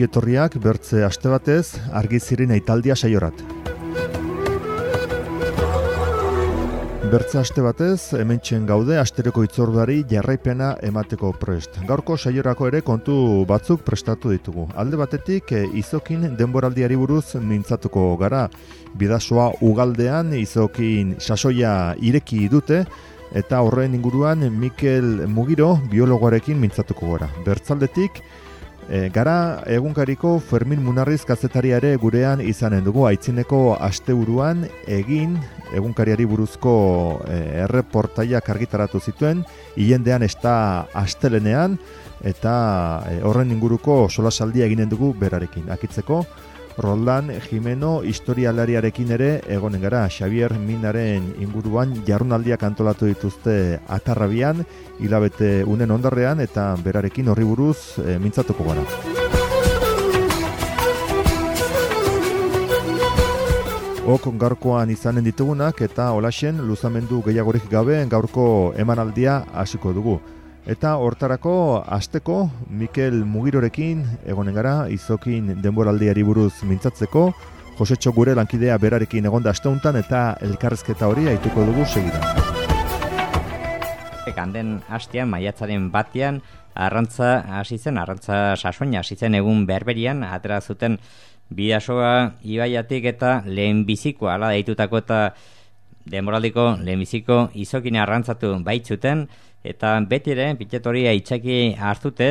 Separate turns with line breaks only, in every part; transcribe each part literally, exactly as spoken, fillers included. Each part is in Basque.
ongi etorriak bertze aste batez argiziren aitaldia saiorat. Bertze aste batez hementxen gaude astereko hitzorduari jarraipena emateko prest. Gaurko saiorako ere kontu batzuk prestatu ditugu. Alde batetik Izokin denboraldiari buruz mintzatuko gara. Bidasoa ugaldean Izokin sasoia ireki dute eta horren inguruan Mikel Mugiro biologoarekin mintzatuko gara. Bertzaldetik E, gara egunkariko Fermin Munarriz kazetari ere gurean izanen dugu. Aitzineko asteburuan egin egunkariari buruzko e, erreportaiak argitaratu zituen, hilendean esta astelenean, eta e, horren inguruko solasaldia eginen dugu berarekin. Akitzeko, Roldan Jimeno historialariarekin ere egonen gara. Xavier Minaren inguruan jardunaldiak antolatu dituzte Atarrabian, hilabete unen ondarrean, eta berarekin horri buruz e, mintzatuko gara. Ok gaurkoan izanen ditugunak eta holaxen luzamendu gehiagorik gabe gaurko emanaldia hasiko dugu. Eta hortarako asteko Mikel Mugirorekin egonen gara Izokin denboraldiari buruz mintzatzeko. Josetxo gure lankidea berarekin egonda asteuntan eta elkarrezketa hori aituko dugu segidan.
Handen hastean, maiatzaren batean, arrantza hasi zen, arrantza sasoina hasi zen egun berberian, atera zuten Bidasoa ibaiatik eta lehenbizikoa, ala deitutako eta denboraldiko lehenbiziko Izokin arrantzatu baitzuten, eta beti ere, pitetoria itxaki hartute,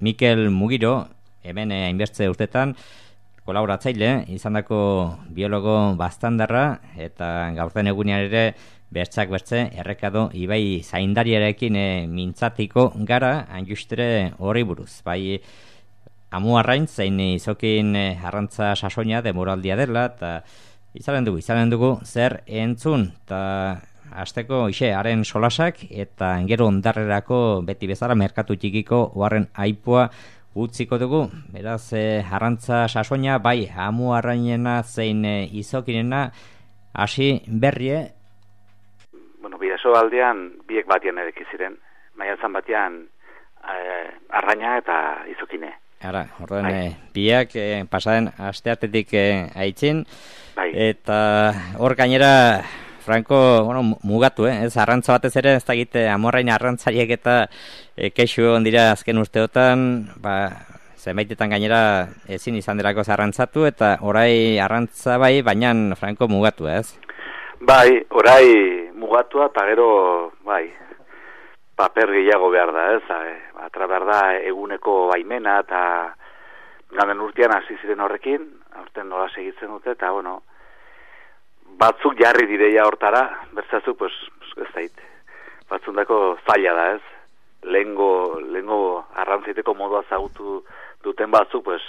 Mikel Mugiro, hemen hainbertze urtetan, kolaboratzaile, izandako biologo bastandarra, eta gaurten egunean ere, bertzak bertze, errekado ibai zaindariarekin e, mintzatiko gara, hain justere horri buruz. Bai, amu arrain, zein Izokin e, arrantza sasoina demoraldia dela, eta izanen dugu, izanen dugu, zer entzun, eta asteko ixe, haren solasak, eta gero ondarrerako beti bezala merkatu txikiko oharren aipua utziko dugu. Beraz, e, arrantza sasoina, bai, amu arrainena zein e, Izokinena, hasi berrie.
Bueno, Bidaso aldean biek batian edeki ziren. Maiatzan batean eh, arraina eta Izokine.
Ara, orden, e, biak e, pasaden asteatetik e, aitzin.
Bai.
Eta hor gainera, Franco, bueno, mugatu, eh? Ez arrantza batez ere, ez da egite amorrain arrantzariek eta e, kexu egon dira azken urteotan, ba, zenbaitetan gainera ezin izan delako arrantzatu, eta orai arrantza bai, baina Franco mugatu, ez?
Bai, orai mugatua, eta gero, bai, paper gehiago behar da, ez? Atra behar da eguneko baimena, eta ganden urtean hasi ziren horrekin, aurten nola segitzen dute, eta, bueno, batzuk jarri direia hortara, bertzazu, pues, ez dait, batzundako zaila da, ez? Lehengo, lehengo arrantziteko modua zagutu duten batzuk, pues,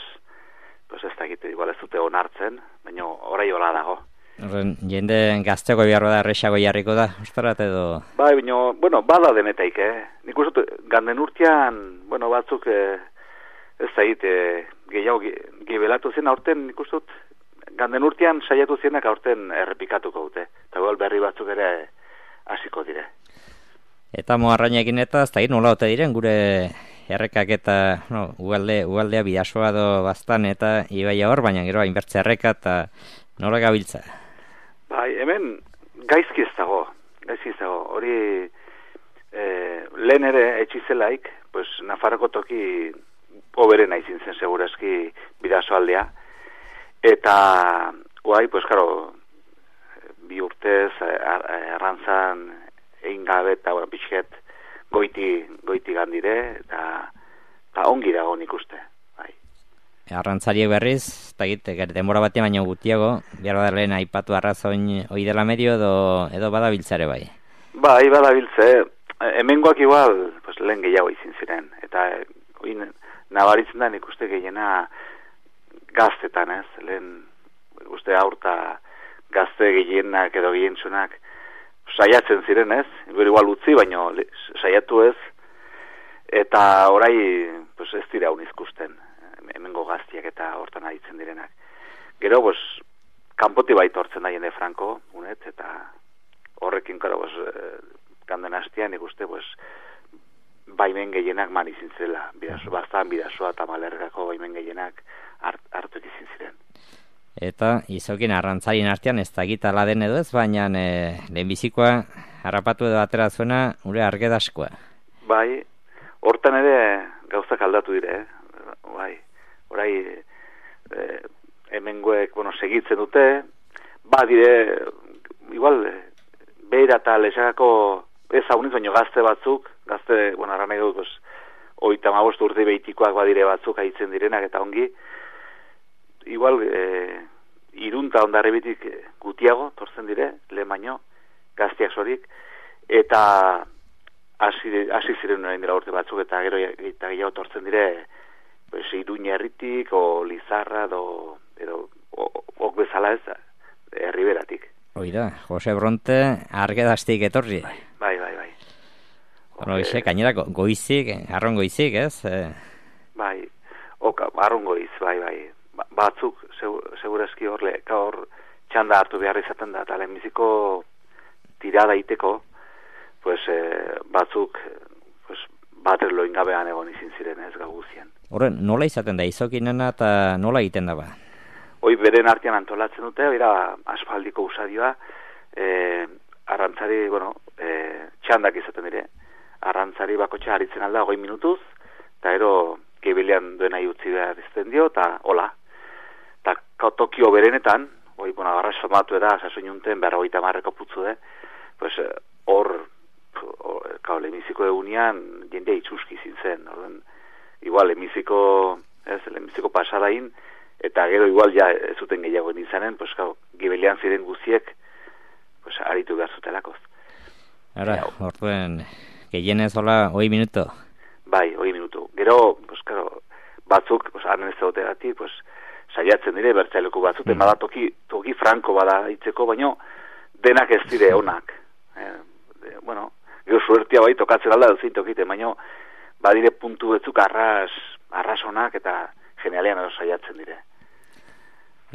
pues ez da egite, igual ez dute onartzen, baina orai hola dago.
Horren, jende gazteko biharro da, errexago jarriko da, ustarat edo?
Bai, baina, bueno, bada denetaik, eh? Nik uste, ganden urtean, bueno, batzuk, eh, ez zait, eh, gehiago gibelatu zen aurten, nik uste, ganden urtean saiatu zenak aurten errepikatuko dute. Eta gol berri batzuk ere hasiko dire.
Eta moarrainekin eta, ez da hir nola ote diren, gure errekak eta, no, ugalde, ugaldea Bidasoa do bastan eta ibaia hor, baina gero hainbertze erreka eta nola gabiltza.
Bai, hemen gaizki ez dago, gaizki ez dago, hori e, lehen ere etxizelaik, pues, Nafarroko toki oberena izin zen segurazki Bidaso aldea, eta guai, pues, karo, bi urtez arrantzan egin gabe eta bueno, pixket goiti, goiti gandire, eta, eta ongi dago nik uste.
Arrantzariek berriz, eta egite, denbora batean baino gutiago, behar da lehen aipatu arrazoin hoi dela medio edo, edo badabiltzare bai?
Bai, badabiltze, hemengoak igual, pues, lehen gehiago izin ziren, eta oin, nabaritzen da nik uste gehiena gaztetan, ez, lehen uste aurta gazte gehienak edo gehientzunak saiatzen ziren, ez, igual utzi, baino saiatu ez, eta orai pues, ez dira unizkusten. Hemengo gaztiak eta hortan aditzen direnak. Gero, pues, kanpoti baita hortzen da jende Franco, unet, eta horrekin, karo, pues, ganden hastian, ikuste, pues, baimen gehienak man izin zirela. Bidaso, baztan bidasoa eta malergako baimen gehienak hart, hartu izin ziren.
Eta izokin arrantzarien artean ez da gitala den edo ez, baina e, lehenbizikoa harrapatu edo atera zuena ure argedaskoa.
Bai, hortan ere gauzak aldatu dire, eh? Bai, orai e, hemengoek, bueno, segitzen dute, ba dire, igual, beira eta lesagako ez hauniz, baino gazte batzuk, gazte, bueno, arra nahi dut, oita mabost urte behitikoak badire batzuk haitzen direnak eta ongi, igual, e, irunta ondarribitik gutiago, tortzen dire, lehen baino, gaztiak sorik, eta hasi ziren orain dela urte batzuk, eta gero eta gehiago tortzen dire, pues, Iruña herritik, o Lizarra, do, edo, ok bezala ez, herriberatik.
Hoi da, Jose Bronte argedaztik etorri.
Bai, bai, bai. bai.
Bueno, e, gainera, goizik, arron goizik, ez? E...
Bai, oka, arron goiz, bai, bai. Batzuk, segurazki hor, hor txanda hartu behar izaten da, eta lehenbiziko tirada iteko, pues, eh, batzuk pues, bater loingabean egon izin ziren ez gaguzien.
Horren, nola izaten da izokinena eta nola egiten da ba?
Hoi beren artean antolatzen dute, oira asfaldiko usadioa, eh, arrantzari, bueno, eh, txandak izaten dire, arrantzari bakotxa haritzen alda hogei minutuz, eta ero gebilean duena utzi behar izten dio, eta hola. Eta Tokio berenetan, hoi, bueno, agarra somatu eda, sasoinunten behar hogeita marreko putzu de, pues, hor, kao, lemiziko egunean, jendea itxuski zintzen, orden, igual, lemiziko, ez, lemiziko pasadain, eta gero igual ja ez zuten gehiago izanen, pues, kao, gibelean ziren guziek, pues, aritu behar zutelakoz.
Ara, orduen, gehienez hola, hoi minuto?
Bai, hoi minutu. Gero, pues, claro, batzuk, pues, anen ez dagotegatik, pues, saiatzen dire, bertzaileko batzuten, mm. bada toki, toki franko bada itzeko, baino, denak ez dire onak. Eh, de, bueno, gero suertia bai tokatzen alda duzin tokite, baino, badire puntu betzuk arras, arras onak eta genialean edo saiatzen dire.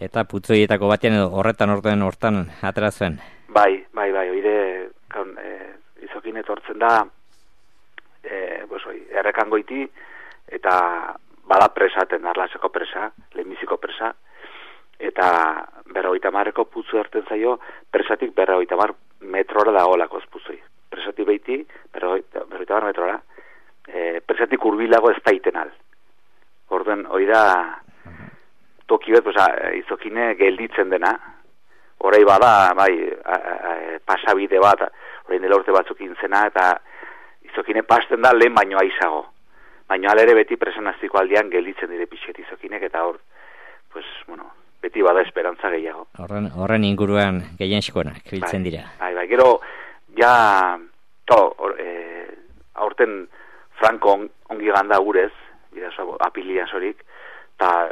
Eta putzoietako batean edo horretan orduen hortan atera zuen?
Bai, bai, bai, oire, kaun, eh, izokin etortzen da, eh, pues, oi, errekangoiti, eta bada presaten, arlaseko presa, lehenbiziko presa, eta berrogeita marreko putzu erten zaio, presatik berrogeita mar metrora da olakoz putzui. Presatik behiti, berrogeita mar metrora, e, presatik urbilago ez daiten al. Orden, hori da, toki bet, pues, izokine gelditzen dena, orai bada, bai, a, a, a, pasabide bat, orain dela urte batzuk intzena, eta izokine pasten da lehen baino aizago. Baina alere beti presanaztiko aldean gelditzen dire pixet izokinek, eta hor, pues, bueno, beti bada esperantza gehiago.
Horren, horren inguruan gehien eskonak, biltzen dira.
Bai, bai, gero, ja, to, or, e, aurten Franco on, ongi ganda urez, bidazo, apilia sorik, eta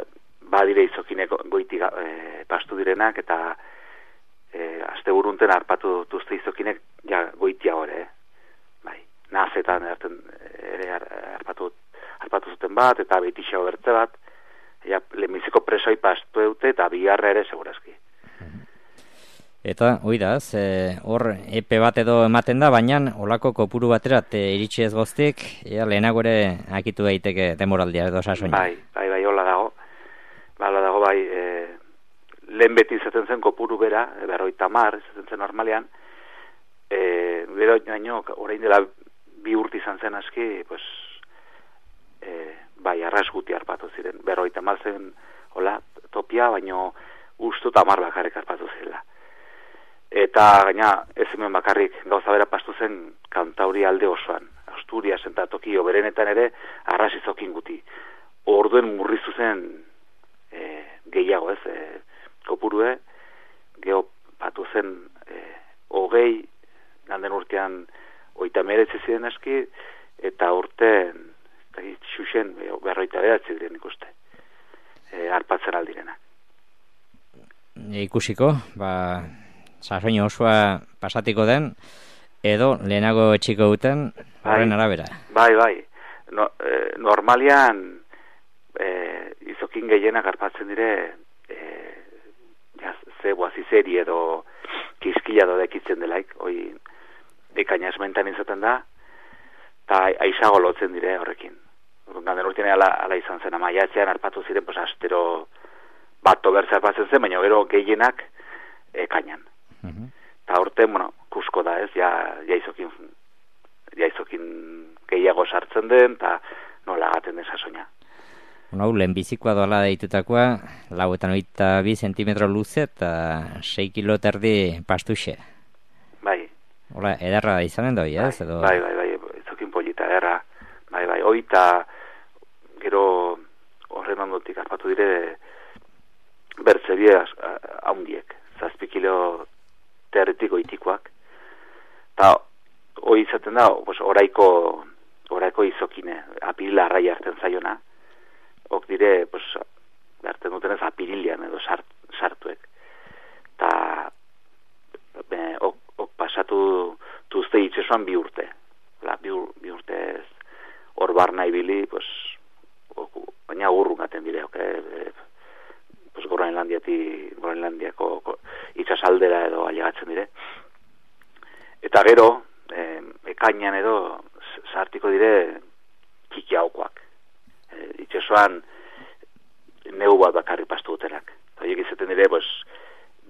badire izokinek goiti e, pastu direnak, eta e, aste burunten harpatu duzte izokinek, ja, goitia hori, eh? Bai, nazetan erten ere harpatu harpatu zuten bat, eta behitixeo bertze bat, ja, lehenbiziko presoi pastu dute, eta bigarra ere segurazki.
Eta, oidaz, hor e, epe bat edo ematen da, baina olako kopuru baterat e, iritsi ez goztik, ea lehenago ere akitu daiteke demoraldia edo sasoina.
Bai, bai, bai, hola dago. Ba, hola dago, bai, e, lehen beti izaten zen kopuru bera, e, berroita mar, izaten zen normalean, e, bero baino, orain dela bi urte izan zen aski, pues, E, bai, arras guti harpatu ziren, berroita mazen, hola, topia, baino ustu tamar bakarrik harpatu zirela. Eta gaina, ez hemen bakarrik gauza bera pastu zen Kantauri alde osoan, Asturias eta Tokio berenetan ere arras izokin guti. Orduen murrizu zen e, gehiago ez, e, kopurue, geho patu zen e, hogei, ganden urtean oita meretzi ziren aski, eta urten xuxen berroita behatzi diren ikuste, e, harpatzen aldirenak.
E, ikusiko, ba, sasoino osoa pasatiko den, edo lehenago etxiko duten, horren arabera.
Bai, bai, no, e, normalian e, izokin gehienak harpatzen dire, e, ja, zeboa zizeri edo kiskila do dekitzen delaik, hoi ekaina esmentan izaten da, eta aizago lotzen dire horrekin. Gauden urtean ala, ala izan zen, maiatzean arpatu ziren, pues, astero bat obertza arpatzen zen, baina gero gehienak ekainan.
Uh-huh.
Eta horten, bueno, kusko da ez, ja, jaizokin, jaizokin gehiago sartzen den, eta nola gaten den sasoina.
Bueno, lehenbizikoa doala deitutakoa, lau eta noita bi zentimetro luze eta sei kilo terdi pastuxe.
Bai.
Hola, ederra izanen doi, ez?
Bai,
Edo...
bai, bai, bai, izokin polita, ederra. Bai, bai, oita, gero horren ondotik arpatu dire bertzebie haundiek, zazpi kilo territiko itikoak. Eta hoi izaten da, pues, oraiko, oraiko izokine, apirila arrai hartzen zaiona. Ok dire, pues, hartzen dutenez apirilian edo sart, sartuek. Eta ok, ok pasatu tuzte itxesuan bi urte. La, bi, bi urte ez, hor barna ibili, pues, ok, baina urrun gaten dire, ok, e, pues, Groenlandiati, Groenlandiako itxasaldera edo ailegatzen dire. Eta gero, eh, ekainan edo sartiko dire txikiaukoak. E, itxesoan neu bat bakarri pastu dutenak. Eta horiek izaten dire, pues,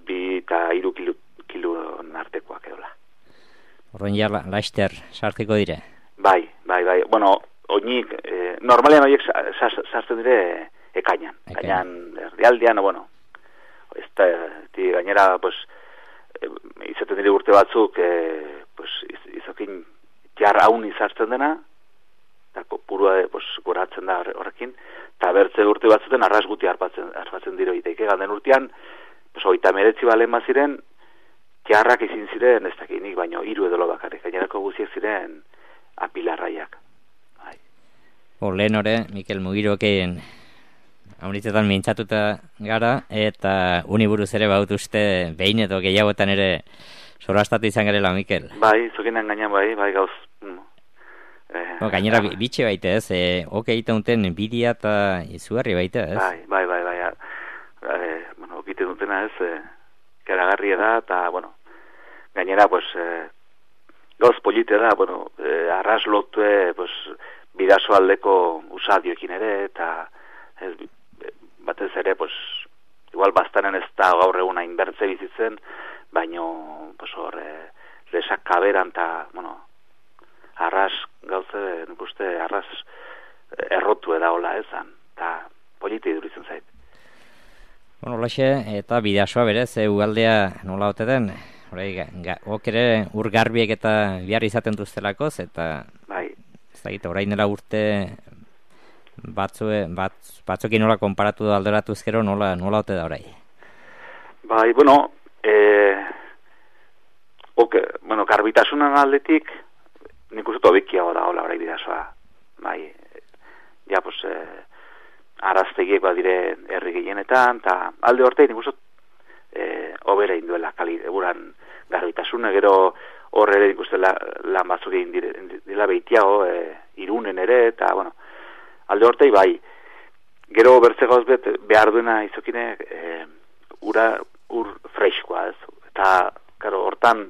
bi eta hiru kilo, kilo artekoak edola.
Horren ja laster sartiko dire?
Bai, bai, bai. Bueno, oinik, eh, normalean horiek sartzen dire ekainan. Ekainan erdialdean, bueno, ez da, gainera, pues, e, izaten dire urte batzuk, e, pues, iz, izokin jar haun izartzen dena, eta purua, pues, goratzen da horrekin, eta bertze urte batzuten arras guti harpatzen, harpatzen diro iteike, ganden urtean, pues, oita meretzi balen baziren, jarrak izin ziren, ez dakinik, baino, hiru edolo bakarrik, gainerako guziek ziren apilarraiak. Bai.
O, lehen hore, Mikel Mugiroken haunitzetan mintzatuta gara, eta uniburuz ere baut uste behin edo gehiagotan ere sorastatu izan garela, Mikel.
Bai, zokinan gainan bai, bai gauz. Eh,
o, gainera eh, bitxe baita ez, eh, oke egiten duten bidia eta izugarri baita ez.
Bai, bai, bai, bai, eh, bueno, okite dutena ez, eh, karagarria da, eta, bueno, gainera, pues, eh, gauz polite da, bueno, eh, arras lotue, pues, bidazo aldeko usadioekin ere, eta ez, batez ere, pues, igual bastanen ez da gaur egun hain bertze bizitzen, baino, pues, hor, eh, lesak kaberan, eta, bueno, arras, gauze, nik uste, arras errotu edaola ezan, eta polite iduritzen zait.
Bueno, laxe, eta bidasoa berez, e, ugaldea nola ote den, ok ere ur garbiek eta bihar izaten duztelakoz, eta
bai.
Ez da gita, orain dela urte batzue, batz, batzokin nola konparatu da alderatuz gero nola, nola ote da orai?
Bai, bueno, eh, ok, bueno, garbitasunan aldetik, nik uste tobikiago da hola orai bidasoa, bai, ja, pues, eh, araztegiek badire herri gehienetan, eta alde horte nik uste eh, obera induela kali, eguran garbitasuna, gero horre ere nik uste la, lan batzuk egin dire, dira behitiago, eh, irunen ere, eta, bueno, alde hortei bai, gero bertze gauz bet behar duena izokine eh, ura, ur freskoa, ez, eta, karo, hortan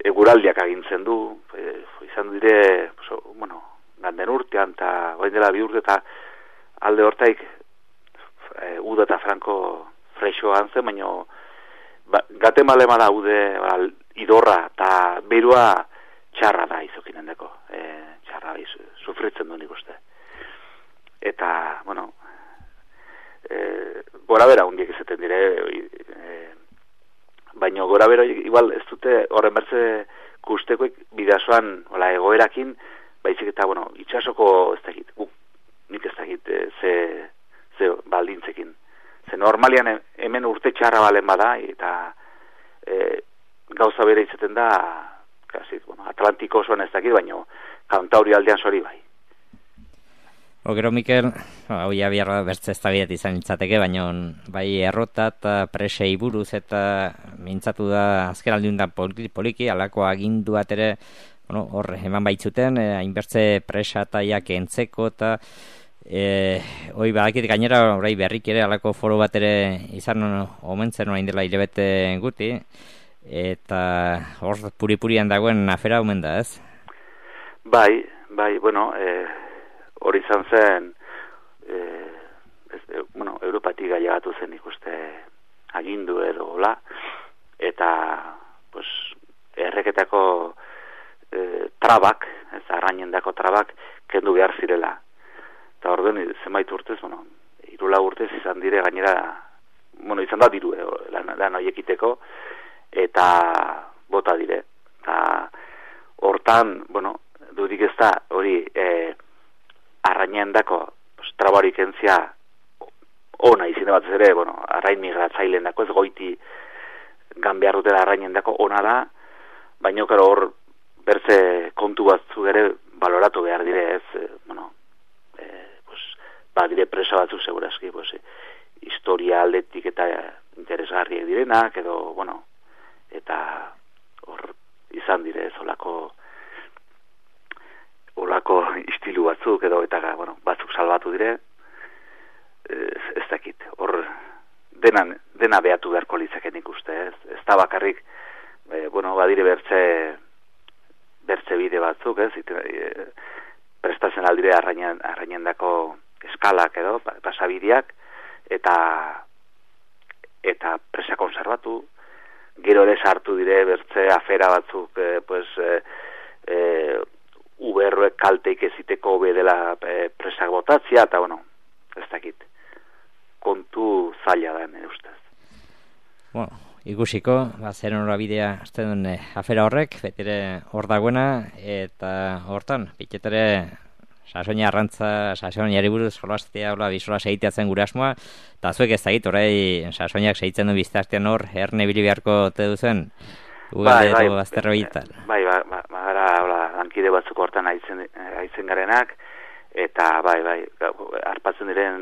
eguraldiak agintzen du, e, izan dire, pues, bueno, ganden urtean, eta bain dela bi urte, eta alde hortaik e, uda eta franko fresoa antzen, baina ba, gate malema da ude ba, idorra, eta berua txarra da izokinen deko, e, txarra iz, sufritzen du nik uste. Eta, bueno, e, gora bera hundiek izaten dire, e, baina gora bera igual ez dute horren bertze kustekoek bidazoan ola, egoerakin, baizik eta, bueno, itxasoko ez dakit, guk, nik ez dakit, e, ze, ze baldintzekin. Ze normalian hemen urte txarra balen bada, eta e, gauza bere izaten da, kasi, bueno, Atlantiko osoan ez dakit, baina Kantauri aldean sori bai.
O, gero, Mikel, hau ja biarra bertze ez da bidet izan nintzateke, baina bai errota eta presei buruz eta mintzatu da azken aldiuntan poliki, alako agindu bat ere, bueno, hor, eman baitzuten, hainbertze eh, presa eta jak entzeko eta eh, hoi badakit gainera orai berrik ere alako foro bat ere izan omentzen orain dela hilabete guti, eta hor puri-purian dagoen afera omen da, ez?
Bai, bai, bueno, e, hori izan zen, e, ez, e, bueno, Europatik gaiagatu zen ikuste agindu edo hola, eta, pues, erreketako e, trabak, ez arrainendako trabak, kendu behar zirela. Eta orduan, zenbait urtez, bueno, irula urtez izan dire gainera, bueno, izan da diru, eh, lan, lan horiekiteko, eta bota dire. Eta hortan, bueno, dudik ez da, hori, eh, arrainendako, pues, trabarik entzia, ona izin bat ere, bueno, arrain migratzaileen dako, ez goiti gan behar dutela arrainendako ona da, baina karo hor bertze kontu batzu ere baloratu behar dire, ez, eh, bueno, eh, pues, ba, dire presa batzuk segurazki, pues, eh, historia aldetik eta interesgarriek direnak, edo, bueno, eta hor izan dire, ez olako, olako istilu batzuk, edo, eta, bueno, batzuk salbatu dire, ez, ez dakit, hor dena, dena behatu beharko litzaken ikuste, ez, ez da bakarrik, e, bueno, badire bertze, bertze bide batzuk, ez, ite, e, prestatzen aldire arrainen, arrainendako eskalak edo, pasabideak, eta eta presa konservatu, gero ere sartu dire bertze afera batzuk, e, pues, e, e, uberroek kalteik eziteko hobe dela e, presak botatzia, eta, bueno, ez dakit, kontu zaila da, nire ustez.
Bueno, ikusiko, ba, zer norabidea azten duen eh, afera horrek, betire hor dagoena, eta hortan, piketere sasoina arrantza, sasoinari buruz jolastea, hola, bisola segiteatzen gure asmoa, eta zuek ez dakit, orai sasoinak segitzen du biztartean hor, erne bili beharko te duzen, ugalde
bai,
edo azterro bitan.
Bai, bai, bai, bai, hola, lankide batzuk hortan aitzen, aitzen garenak, eta bai, bai, arpatzen diren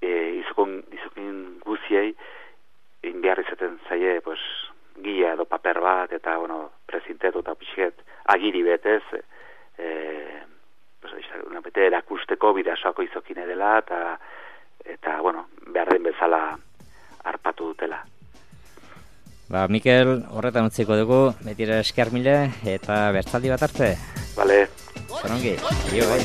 e, izokon, izokin guziei, inbiar izaten zaie, pues, gila edo paper bat, eta, bueno, prezintetu eta pixket agiri betez, e, pues, una bete erakusteko bidasoako izokine dela, eta, eta, bueno, behar den bezala arpatu dutela.
Ba, Mikel, horretan utziko dugu, betira esker mile, eta bertzaldi bat arte.
Vale.
Zorongi, jo, bai.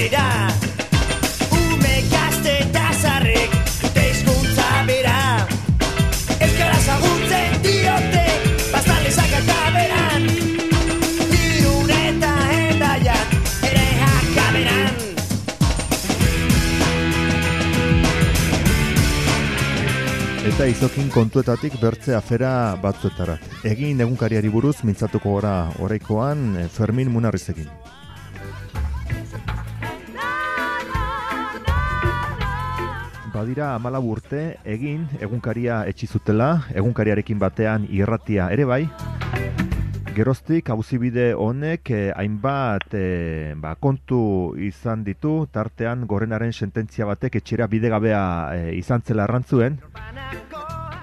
Ume gazte eta zarrek dute hizkuntza bera, euskara zagutzen diote baztalezak eta beran, Irun eta Hendaian ere jakaberan.
Eta izokin kontuetatik bertze afera batzuetarat. Egin egunkariari buruz mintzatuko gora oraikoan Fermin Munarrizekin. Badira hamalau urte egin egunkaria etsi zutela, egunkariarekin batean irratia ere bai. Geroztik auzibide honek eh, hainbat eh, ba, kontu izan ditu, tartean Gorenaren sententzia batek etxera bidegabea eh, izan zela arrantzuen.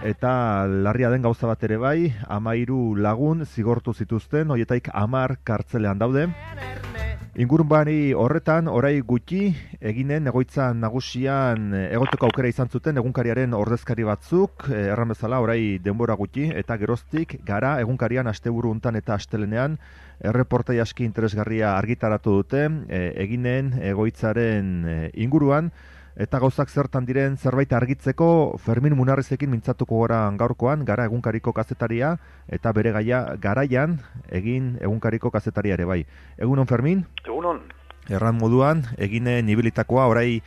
Eta larria den gauza bat ere bai, hamairu lagun zigortu zituzten, horietaik hamar kartzelean daude. Ingurunbari horretan, orai gutxi, eginen egoitza nagusian egoteko aukera izan zuten egunkariaren ordezkari batzuk, erran bezala orai denbora gutxi, eta geroztik gara egunkarian asteburu untan eta astelenean erreportai aski interesgarria argitaratu dute, eginen egoitzaren inguruan, eta gauzak zertan diren zerbait argitzeko Fermin Munarrizekin mintzatuko gora gaurkoan, gara egunkariko kazetaria, eta bere gaia garaian egin egunkariko kazetaria ere bai. Egunon, Fermin?
Egunon.
Erran moduan, eginen ibilitakoa orai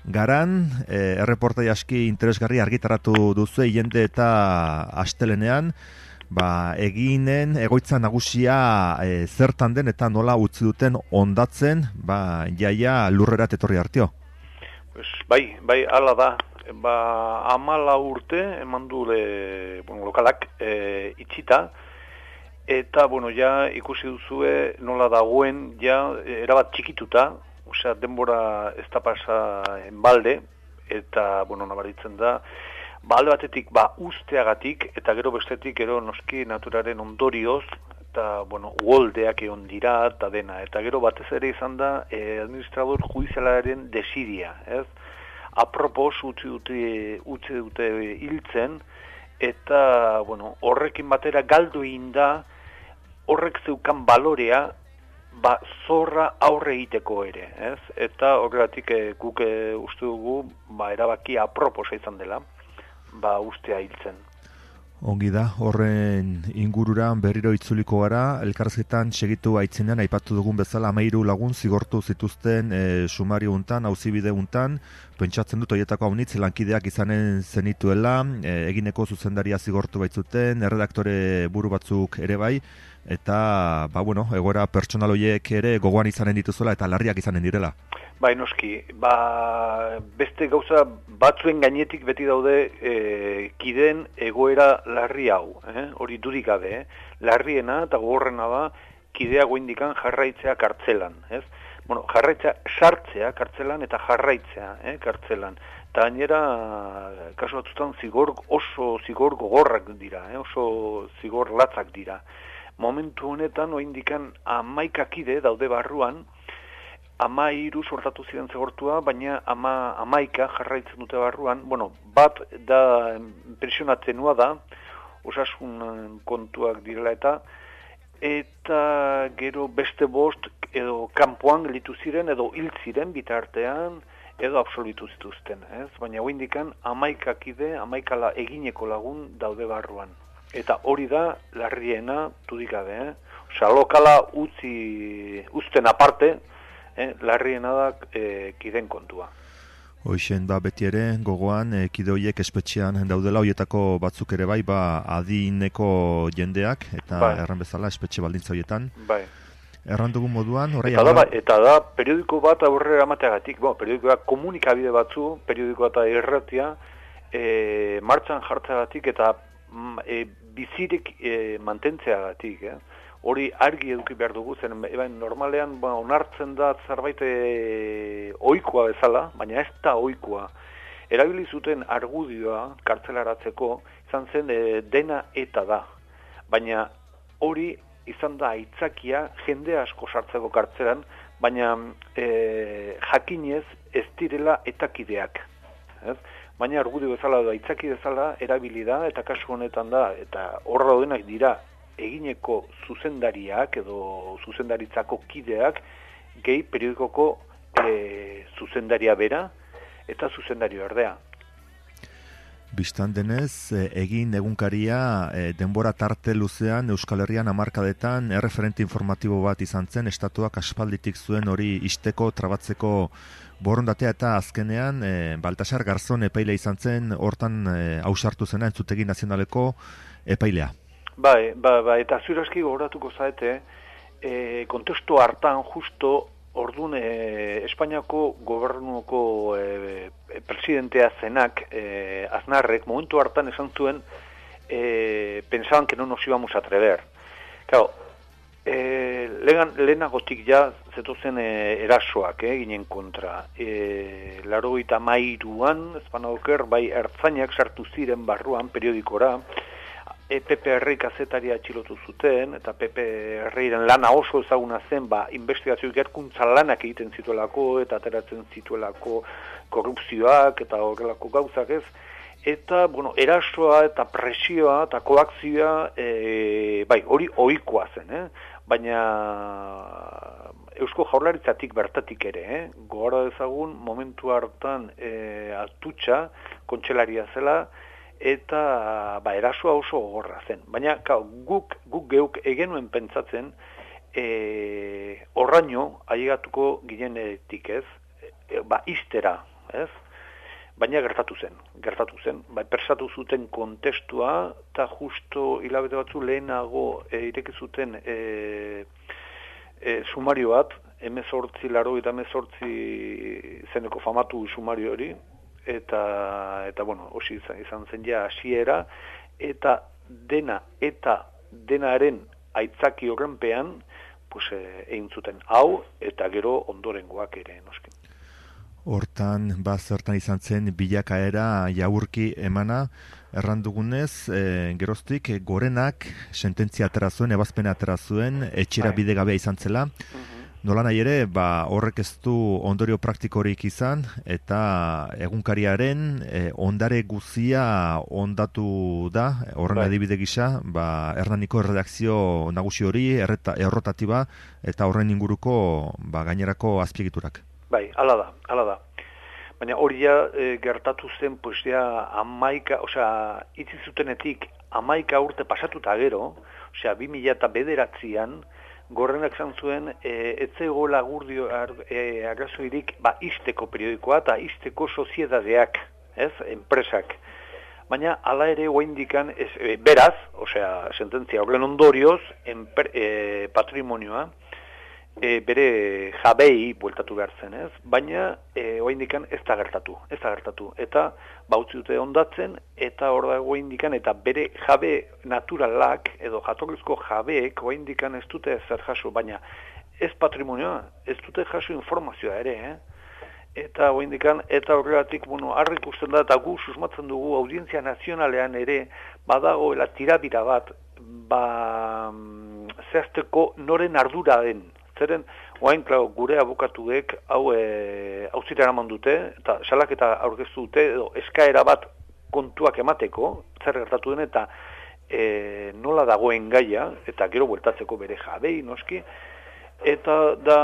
garan, e, erreportai aski interesgarri argitaratu duzu jende eta astelenean, ba, eginen egoitza nagusia e, zertan den eta nola utzi duten ondatzen, ba, jaia lurrerat etorri hartio.
Pues, bai, bai, ala da. Ba, amala urte eman du le, bueno, lokalak e, itxita, eta, bueno, ja ikusi duzue nola dagoen, ja erabat txikituta, osea, denbora ez da pasa enbalde, eta, bueno, nabaritzen da, ba, alde batetik, ba, usteagatik, eta gero bestetik, gero noski naturaren ondorioz, eta, bueno, uoldeak egon dira, eta dena, eta gero batez ere izan da, eh, administrador judizialaren desidia, ez? Apropos utzi dute, utzi dute hiltzen, eta, bueno, horrekin batera galdu egin da, horrek zeukan balorea, ba, zorra aurre egiteko ere, ez? Eta horregatik e, guk e, uste dugu, ba, erabaki aproposa izan dela, ba, ustea hiltzen.
Ongi da, horren ingururan berriro itzuliko gara, elkarrizketan segitu aitzinean, aipatu dugun bezala hamairu lagun zigortu zituzten e, sumario untan, auzibide untan, pentsatzen dut horietako haunitz lankideak izanen zenituela, e, egineko zuzendaria zigortu baitzuten, erredaktore buru batzuk ere bai, eta, ba, bueno, egoera pertsonal horiek ere gogoan izanen dituzuela eta larriak izanen direla.
Bai, noski, ba, beste gauza batzuen gainetik beti daude e, kideen egoera larri hau, eh? Hori dudik gabe, eh? Larriena eta gogorrena da kidea goindikan jarraitzea kartzelan, ez? Bueno, jarraitzea sartzea kartzelan eta jarraitzea, eh? Kartzelan. Eta gainera, kasu batzutan zigor, oso zigor gogorrak dira, eh? Oso zigor latzak dira. Momentu honetan, oindikan hamaika kide daude barruan, ama hiru sortatu ziren zigortua, baina ama hamaika jarraitzen dute barruan. Bueno, bat da impresionatzenua da, osasun kontuak direla eta, eta gero beste bost edo kanpoan gelditu ziren edo hil ziren bitartean edo absolutu zituzten, ez? Baina hoindikan hamaika kide, hamaikala egineko lagun daude barruan. Eta hori da larriena dudik gabe, eh? Osea, lokala utzi uzten aparte, Eh, larriena da eh, kiden kontua.
Hoixen, ba, beti ere, gogoan, e, kide horiek espetxean daudela, horietako batzuk ere bai, ba, adineko jendeak, eta bai. Erran bezala, espetxe baldintza horietan.
Bai.
Erran dugun moduan, horrei...
Eta, da, eta da, periodiko bat aurrera amateagatik, bo, periodikoa komunikabide batzu, periodikoa eta erratia, e, martxan jartzeagatik eta e, bizirik e, mantentzeagatik, eh? Hori argi eduki behar dugu, zen normalean ba, onartzen da zerbait e, ohikoa bezala, baina ez da ohikoa. Erabili zuten argudioa kartzelaratzeko izan zen e, dena eta da. Baina hori izan da aitzakia jende asko sartzeko kartzelan, baina e, jakinez ez direla etakideak. Ez? Baina argudio bezala da aitzaki bezala erabili da, eta kasu honetan da, eta horra daudenak dira, egineko zuzendariak edo zuzendaritzako kideak gehi periodikoko e, zuzendaria bera eta zuzendario erdea.
Bistan denez, egin egunkaria e, denbora tarte luzean Euskal Herrian hamarkadetan erreferente informatibo bat izan zen, estatuak aspalditik zuen hori isteko, trabatzeko borondatea eta azkenean e, Baltasar Garzon epaile izan zen, hortan e, ausartu zena entzutegi nazionaleko epailea.
Bai, ba, ba, eta zuraski gogoratuko zaete, e, kontestu hartan justo ordun e, Espainiako gobernuko e, presidentea zenak, e, Aznarrek, momentu hartan esan zuen, e, pensaban que no nos íbamos a atrever. Claro, e, legan, lehenagotik ja zetozen e, erasoak eh, ginen kontra. E, Laurogeita hamairuan, ezpanagoker, bai ertzainak sartu ziren barruan periodikora, E P P R kazetaria atxilotu zuten, eta P P R-ren lana oso ezaguna zen, ba, investigazio ikerkuntza lanak egiten zituelako, eta ateratzen zituelako korrupzioak, eta horrelako gauzak ez. Eta, bueno, erasoa eta presioa eta koakzioa, e, bai, hori ohikoa zen, eh? Baina Eusko Jaurlaritzatik bertatik ere, eh? Gogora dezagun, momentu hartan e, atutxa, kontselaria zela, eta ba, erasoa oso gogorra zen. Baina ka, guk, guk geuk egenuen pentsatzen e, horraino ailegatuko ginenetik ez, e, ba, iztera, ez? baina gertatu zen, gertatu zen, bai, persatu zuten kontestua, eta justo hilabete batzu lehenago e, ireki zuten e, e, sumario bat, emezortzi laro eta emezortzi zeneko famatu sumario hori, eta, eta bueno, hosi izan, izan zen ja hasiera, eta dena, eta denaren aitzaki horrenpean, pues, e, egin zuten hau, eta gero ondorengoak ere, noski.
Hortan, ba, zertan izan zen bilakaera jaurki emana, errandugunez, e, geroztik, e, gorenak sententzia atera zuen, ebazpena atera zuen, etxera bide gabea izan zela. Nola nahi ere, ba, horrek ez du ondorio praktikorik izan, eta egunkariaren e, ondare guzia ondatu da, horren
Bai.
adibide gisa, ba, Hernaniko erredakzio nagusi hori, erreta, errotatiba, eta horren inguruko ba, gainerako azpiegiturak.
Bai, hala da, hala da. Baina hori ja e, gertatu zen, pues ja, amaika, osea, itzi zutenetik amaika urte pasatuta gero, osea, bi mila eta bederatzian, Gorrenak zan zuen, e, etzegoela gurdio e, arrazoirik, ba, isteko periodikoa eta isteko soziedadeak, ez, enpresak. Baina, hala ere, oaindikan, ez, e, beraz, osea, sententzia horren ondorioz, enper, e, patrimonioa, E, bere jabei bueltatu behar zen, ez? Baina e, oaindikan ez da gertatu, ez da gertatu. Eta bautzi dute ondatzen, eta hor da oaindikan, eta bere jabe naturalak, edo jatorrizko jabeek oaindikan ez dute zer jaso, baina ez patrimonioa, ez dute jaso informazioa ere, eh? Eta oaindikan, eta horregatik, bueno, harri ikusten da, eta gu susmatzen dugu audientzia nazionalean ere, badagoela tirabira bat, ba, zehazteko noren ardura den. Zeren, oain, klar, gure abokatuek hau e, auzira eraman dute, eta salaketa aurkeztu dute, edo eskaera bat kontuak emateko, zer gertatu den, eta e, nola dagoen gaia, eta gero bueltatzeko bere jabei, noski, eta da,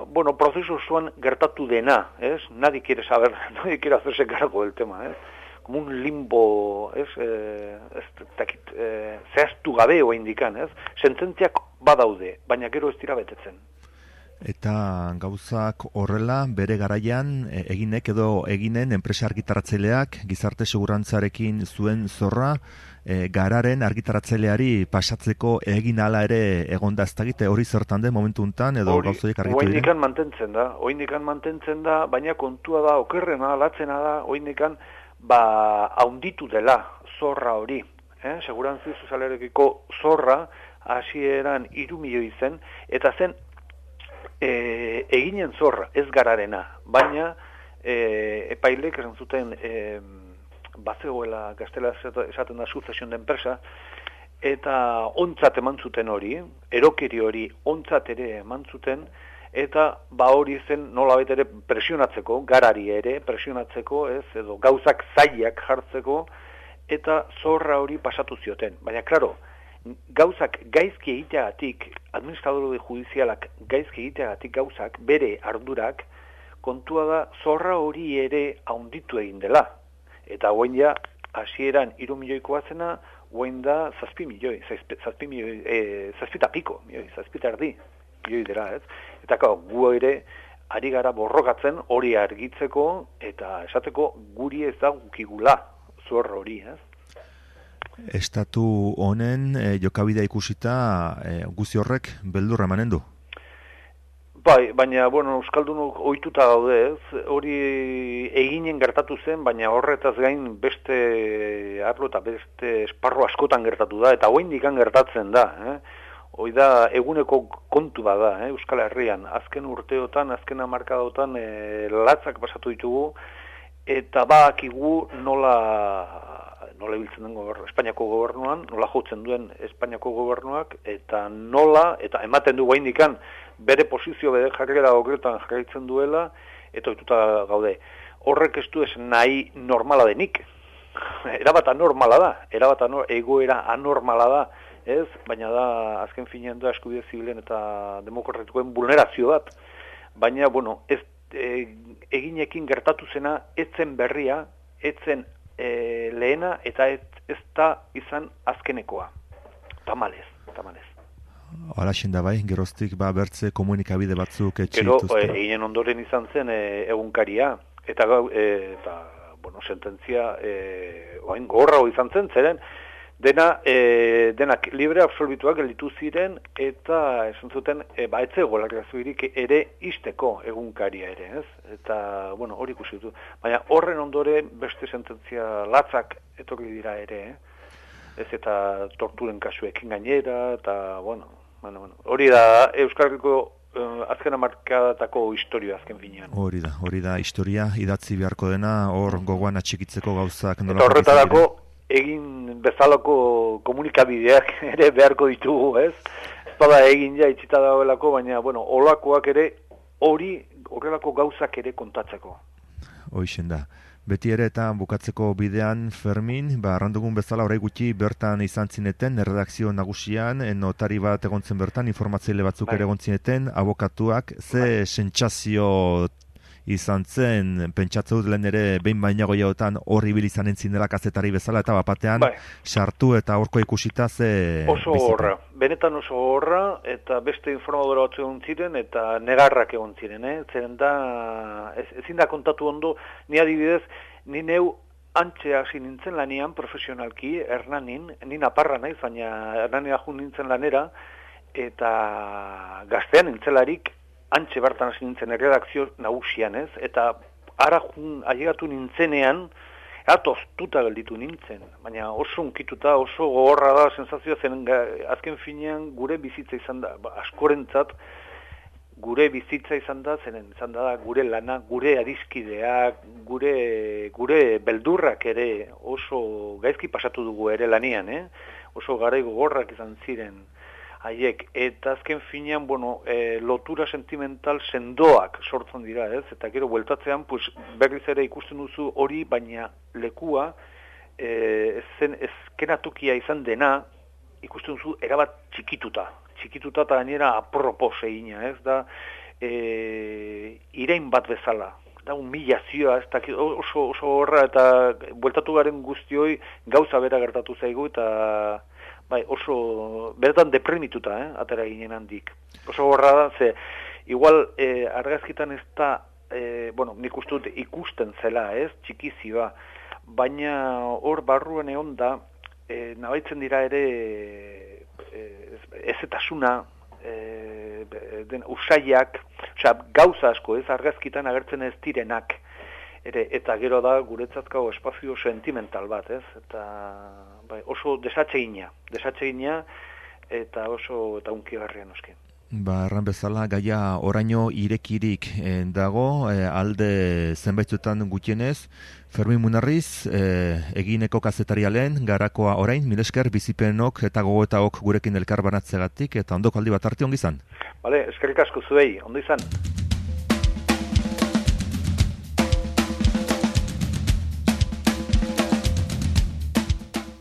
bueno, prozesu osoan gertatu dena, ez? Nadie quiere saber, nadie quiere hacerse cargo del tema, ez? Como un limbo, ez? Eh, ez takit, eh, zehaztu gabe oa indikan, ez? Sententziak badaude, baina gero ez dira betetzen.
Eta gauzak horrela, bere garaian, e, eginek edo eginen enpresa argitaratzaileak gizarte segurantzarekin zuen zorra, e, gararen argitaratzaileari pasatzeko egin ala ere egonda ez dakite hori zertan den momentu untan, edo gauzoiek argitu dira?
Oindikan mantentzen da, oindikan mantentzen da, baina kontua da, okerrena, latzena da, oindikan, ba, haunditu dela zorra hori. Eh? Segurantzi sozialarekiko zorra, hasieran hiru milioi zen, eta zen e, eginen zorra, ez gararena, baina e, epailek esan zuten e, bazegoela gaztela esaten da sucesión de empresa, eta ontzat eman zuten hori, erokeri hori ontzat ere eman zuten, eta ba hori zen nolabait ere presionatzeko, garari ere presionatzeko, ez, edo gauzak zailak jartzeko, eta zorra hori pasatu zioten. Baina, klaro, gauzak gaizki egiteagatik, administradore judizialak gaizki egiteagatik gauzak, bere ardurak, kontua da zorra hori ere haunditu egin dela. Eta hoen ja, hasieran hiru milioikoa zena, hoen da zazpi milioi, zazpi milioi, e, zazpita piko, milioi, zazpita erdi, milioi dira, ez? Eta kau, gu ere, ari gara borrokatzen hori argitzeko, eta esateko guri ez da gukigula zorra hori, ez?
Estatu honen e, jokabidea ikusita e, guzi horrek beldurra emanen du?
Bai, baina, bueno, euskaldunok ohituta daude, ez? Hori eginen gertatu zen, baina horretaz gain beste arlo eta beste esparro askotan gertatu da, eta oraindikan gertatzen da, eh? Hoi da eguneko kontu bada, eh? Euskal Herrian, azken urteotan, azken hamarkadotan e, latzak pasatu ditugu, eta badakigu nola nola ibiltzen den gobernu, Espainiako gobernuan, nola jotzen duen Espainiako gobernuak, eta nola, eta ematen du gaindikan bere posizio, bere jarrera horretan jarraitzen duela, eta ohituta gaude. Horrek ez du ez nahi normala denik. Erabat anormala da, erabat anor, egoera anormala da, ez? Baina da, azken finean da eskubide zibilen eta demokratikoen vulnerazio bat. Baina, bueno, ez e, eginekin gertatu zena, etzen berria, etzen E, lehena eta ez, ez da izan azkenekoa. Tamalez, tamalez.
Hala da bai, geroztik ba bertze komunikabide batzuk etxe
Gero,
dituzte.
eginen ondoren izan zen e, egunkaria, eta, e, eta bueno, sententzia e, oain gorra izan zen, zeren, dena, e, denak libre absolbituak gelditu ziren, eta esan zuten, e, ba, etzego larriazuirik ere isteko egunkaria ere, ez? Eta, bueno, hori ikusi dut. Baina horren ondoren beste sententzia latzak etorri dira ere, eh? Ez eta torturen kasuekin gainera, eta, bueno, bueno, bueno. Hori da Euskal Herriko Uh, azken amarkadatako historia azken finean.
Hori da, hori da historia idatzi beharko dena, hor gogoan atxikitzeko gauzak nola.
Eta horretarako egin bezalako komunikabideak ere beharko ditugu, ez? Ez bada egin ja itxita dagoelako, baina, bueno, olakoak ere hori, horrelako gauzak ere kontatzeko.
Hoixen da. Beti ere eta bukatzeko bidean, Fermin, ba, arrandugun bezala orai gutxi bertan izan zineten, erredakzio nagusian, notari bat egontzen bertan, informatzaile batzuk bai. ere egontzineten, abokatuak, ze bai. sentsazio izan zen, pentsatzeu lehen ere, behin bainago jaotan horri bil izan entzin dela kazetari bezala, eta bapatean, bai. sartu eta horko ikusita ze...
Oso horra, benetan oso horra, eta beste informadora batzu egon ziren, eta negarrak egon ziren, eh? Zeren da, ez, ezin da kontatu ondo, ni adibidez, ni neu antxe hasi nintzen lanian profesionalki, Hernanin, ni naparra naiz, baina Hernanera jun nintzen lanera, eta gaztean nintzelarik, antxe bertan hasi nintzen erredakzio nagusian, ez? Eta ara jun ailegatu nintzenean, atoztuta gelditu nintzen, baina oso unkituta, oso gogorra da sensazioa zen, azken finean gure bizitza izan da, ba, askorentzat gure bizitza izan da, zenen izan da gure lana, gure adiskideak, gure, gure beldurrak ere oso gaizki pasatu dugu ere lanian, eh? Oso garai gogorrak izan ziren haiek, eta azken finean, bueno, e, lotura sentimental sendoak sortzen dira, ez? Eta gero bueltatzean, pues, berriz ere ikusten duzu hori, baina lekua, e, zen ezkenatukia izan dena, ikusten duzu erabat txikituta. Txikituta eta gainera apropos egina, ez? Da, e, irein bat bezala. Da, humilazioa, ez da, oso, oso horra, eta bueltatu garen guztioi gauza bera gertatu zaigu, eta... Bai, oso, beretan deprimituta, eh, atera ginen handik. Oso horra da, ze, igual, eh, argazkitan ez da, eh, bueno, nik uste dut ikusten zela, ez, txikizioa, baina hor barruen egon da, eh, nabaitzen dira ere, eh, ezetasuna, eh, den, usaiak, osea, gauza asko, ez, argazkitan agertzen ez direnak, ere, eta gero da guretzatko espazio sentimental bat, ez? Eta bai, oso desatsegina, desatsegina eta oso eta hunkigarria noski.
Ba, erran bezala, gaia oraino irekirik eh, dago, eh, alde zenbaitzutan gutienez, Fermin Munarriz, eh, egineko kazetarialen, garakoa orain, milesker bizipenok eta gogoetaok gurekin elkar banatzegatik, eta ondoko aldi bat arte ongi izan.
Bale, eskerrik asko zuei, ondo izan.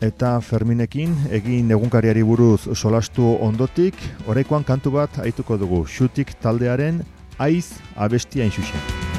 Eta Ferminekin, egin egunkariari buruz solastu ondotik, oraikoan kantu bat aituko dugu, Xutik taldearen Aiz abestia inxuxen.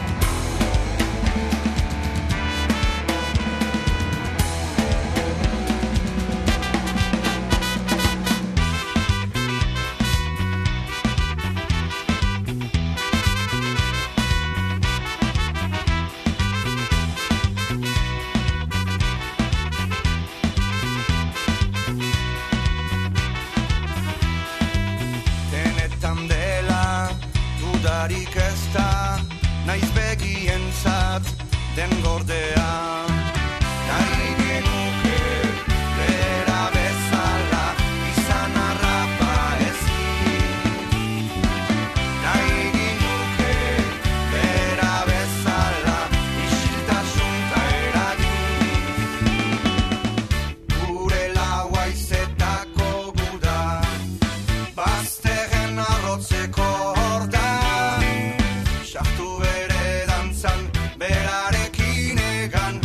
Sartu ere dantzan berarekin egan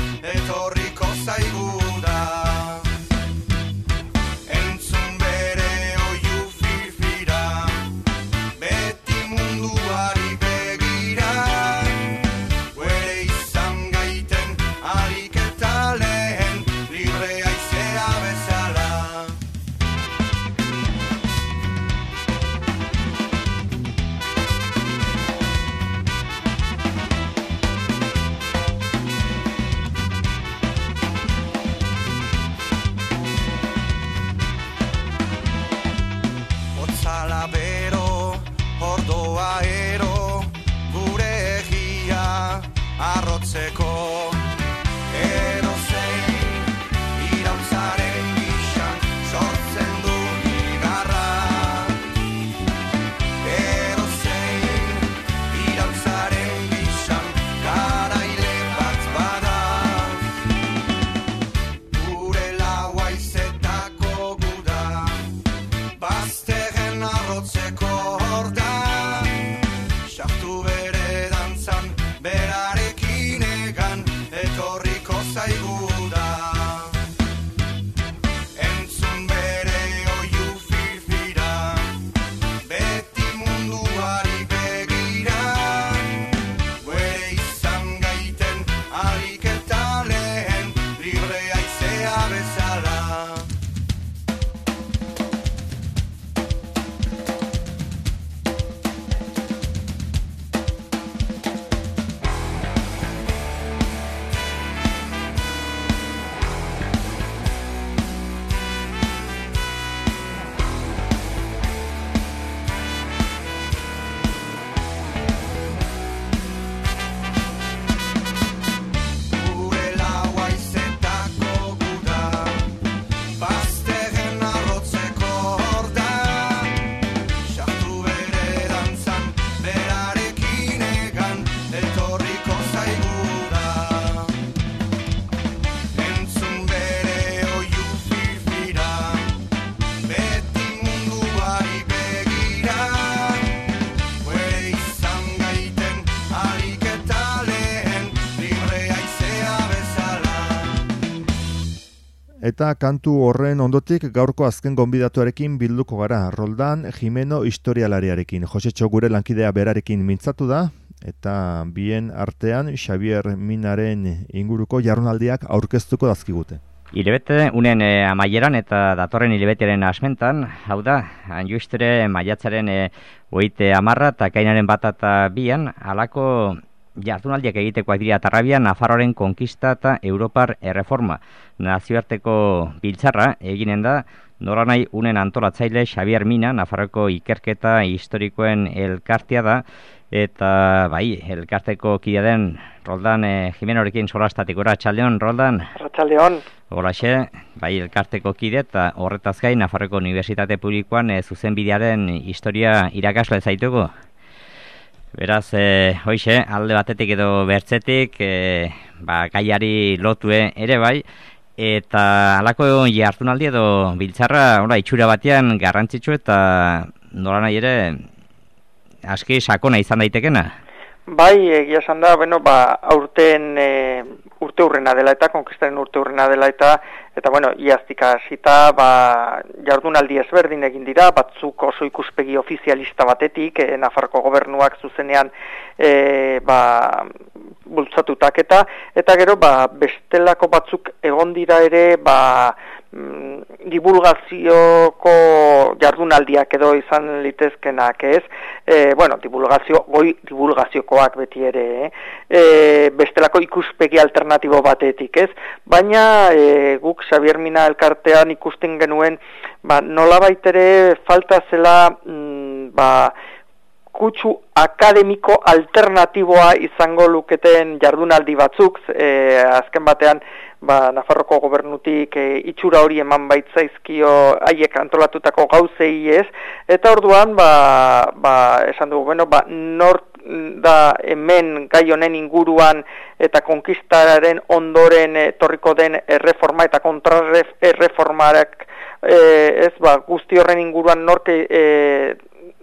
arrotzeko edozein iraultzaren gixan sortzen du igarra edozein iraultzaren gixan garaile bat bada gure laua izetako guda bazterren arrotzeko horda sartu bere dantzan berarekin egan etorriko zaigu da entzun bere oiu firfira beti munduari begira guere izan gaiten alik eta lehen libre aizea bezala gure laua izetako guda bazterren arrotzeko horda sartu bere dantzan berarekin egan etorriko zaigu da entzun bere oiu firfira beti munduari begira guere izan gaiten alik eta lehen libre aizea bezala
Eta kantu horren ondotik gaurko azken gonbidatuarekin bilduko gara, Roldan Jimeno historialariarekin. Josetxo gure lankidea berarekin mintzatu da, eta bien artean Xavier Minaren inguruko jardunaldiak aurkeztuko dazkigute.
Hilebete unen e, amaieran eta datorren hilebeteren asmentan, hau da, anjuistere maiatzaren e, oite amarra eta kainaren bat eta bian, halako jardunaldiak egitekoak dira Tarrabian Nafarroaren konkista eta Europar erreforma. Nazioarteko biltzarra eginen da, nolanahi unen antolatzaile Xavier Mina, Nafarroko ikerketa historikoen elkartea da, eta bai, elkarteko kidea den Roldan e, Jimenorekin solastatikora. Txaldeon, Roldan?
Arratsaldeon.
Holaxe, bai, elkarteko kide eta horretaz gain Nafarroko Unibertsitate Publikoan e, zuzenbidearen historia irakasle zaituko. Beraz, e, hoixe, alde batetik edo bertzetik, e, ba, gaiari lotue ere bai, eta halako jardunaldi edo biltzarra, ora, itxura batean garrantzitsu eta nolanahi ere aski sakona izan daitekena.
Bai, egia esan da, bueno, ba, aurten e, urte hurrena dela eta, konkistaren urte hurrena dela eta, eta bueno, iaztik hasita, ba, jardunaldi ezberdin egin dira, batzuk oso ikuspegi ofizialista batetik, e, Nafarroko gobernuak zuzenean e, ba, bultzatutak eta, eta gero, ba, bestelako batzuk egon dira ere, ba, divulgazioko jardunaldiak edo izan litezkenak, ez? E, bueno, divulgazio, goi divulgaziokoak beti ere, eh? E, bestelako ikuspegi alternatibo batetik, ez? Baina e, guk Xavier Mina elkartean ikusten genuen, ba, nolabait ere falta zela, mm, ba, kutsu akademiko alternatiboa izango luketen jardunaldi batzuk, e, azken batean, ba, Nafarroko gobernutik e, itxura hori eman baitzaizkio haiek antolatutako gauzei ez, eta orduan, ba, ba, esan dugu, bueno, ba, nor da hemen gai honen inguruan eta konkistaren ondoren etorriko den erreforma eta kontrarreformarak e, ez, ba, guzti horren inguruan norke e,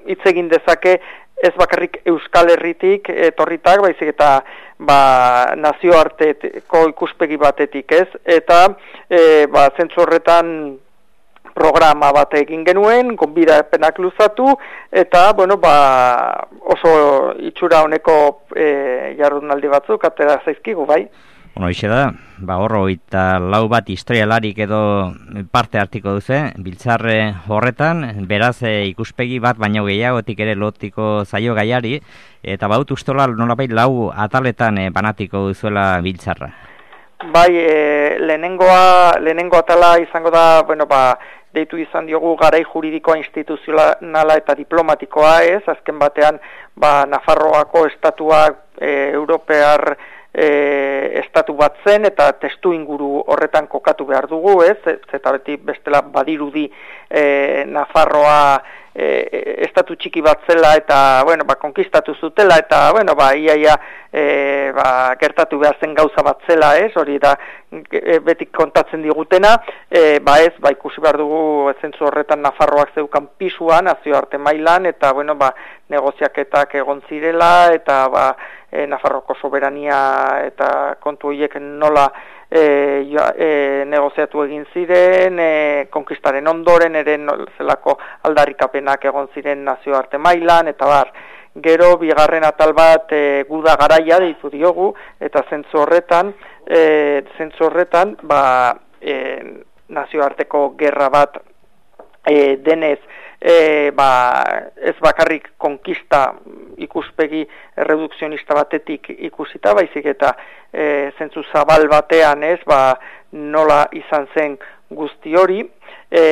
hitz egin dezake, ez bakarrik Euskal Herritik etorritak, baizik eta ba, nazioarteko ikuspegi batetik, ez? Eta e, ba, zentzu horretan programa bat egin genuen, gonbidapenak luzatu, eta bueno, ba, oso itxura honeko e, jardunaldi batzuk atera zaizkigu, bai?
Bueno, hoxe da, ba, horro eta lau bat historialarik edo parte hartiko duze, biltzarre horretan, beraz e, ikuspegi bat baino gehiagotik ere lotiko zaio gaiari, eta baut ustola nolabait lau ataletan e, banatiko duzuela biltzarra.
Bai, e, lehenengoa, lehenengo atala izango da, bueno, ba, deitu izan diogu garai juridikoa instituzionala eta diplomatikoa, ez? Azken batean, ba, Nafarroako estatuak e, europear e, estatu bat zen, eta testu inguru horretan kokatu behar dugu, ez, eta beti bestela badirudi e, Nafarroa e, estatu txiki bat zela, eta, bueno, ba, konkistatu zutela, eta, bueno, ba, iaia, e, ba, gertatu behar zen gauza bat zela, ez, hori da, e, beti kontatzen digutena, e, ba, ez, ba, ikusi behar dugu, zentzu horretan Nafarroak zeukan pisuan, nazioarte mailan, eta, bueno, ba, negoziaketak egon zirela, eta, ba, e, Nafarroko soberania eta kontu horiek nola e, jo, e, negoziatu egin ziren, e, konkistaren ondoren ere zelako aldarrikapenak egon ziren nazioarte mailan, eta bar, gero bigarren atal bat e, guda garaia deitu diogu, eta zentzu horretan, e, zentzu horretan, ba, e, nazioarteko gerra bat e, denez, E, ba, ez bakarrik konkista ikuspegi redukzionista batetik ikusita, baizik eta e, zentzu zabal batean, ez, ba, nola izan zen guzti hori, e,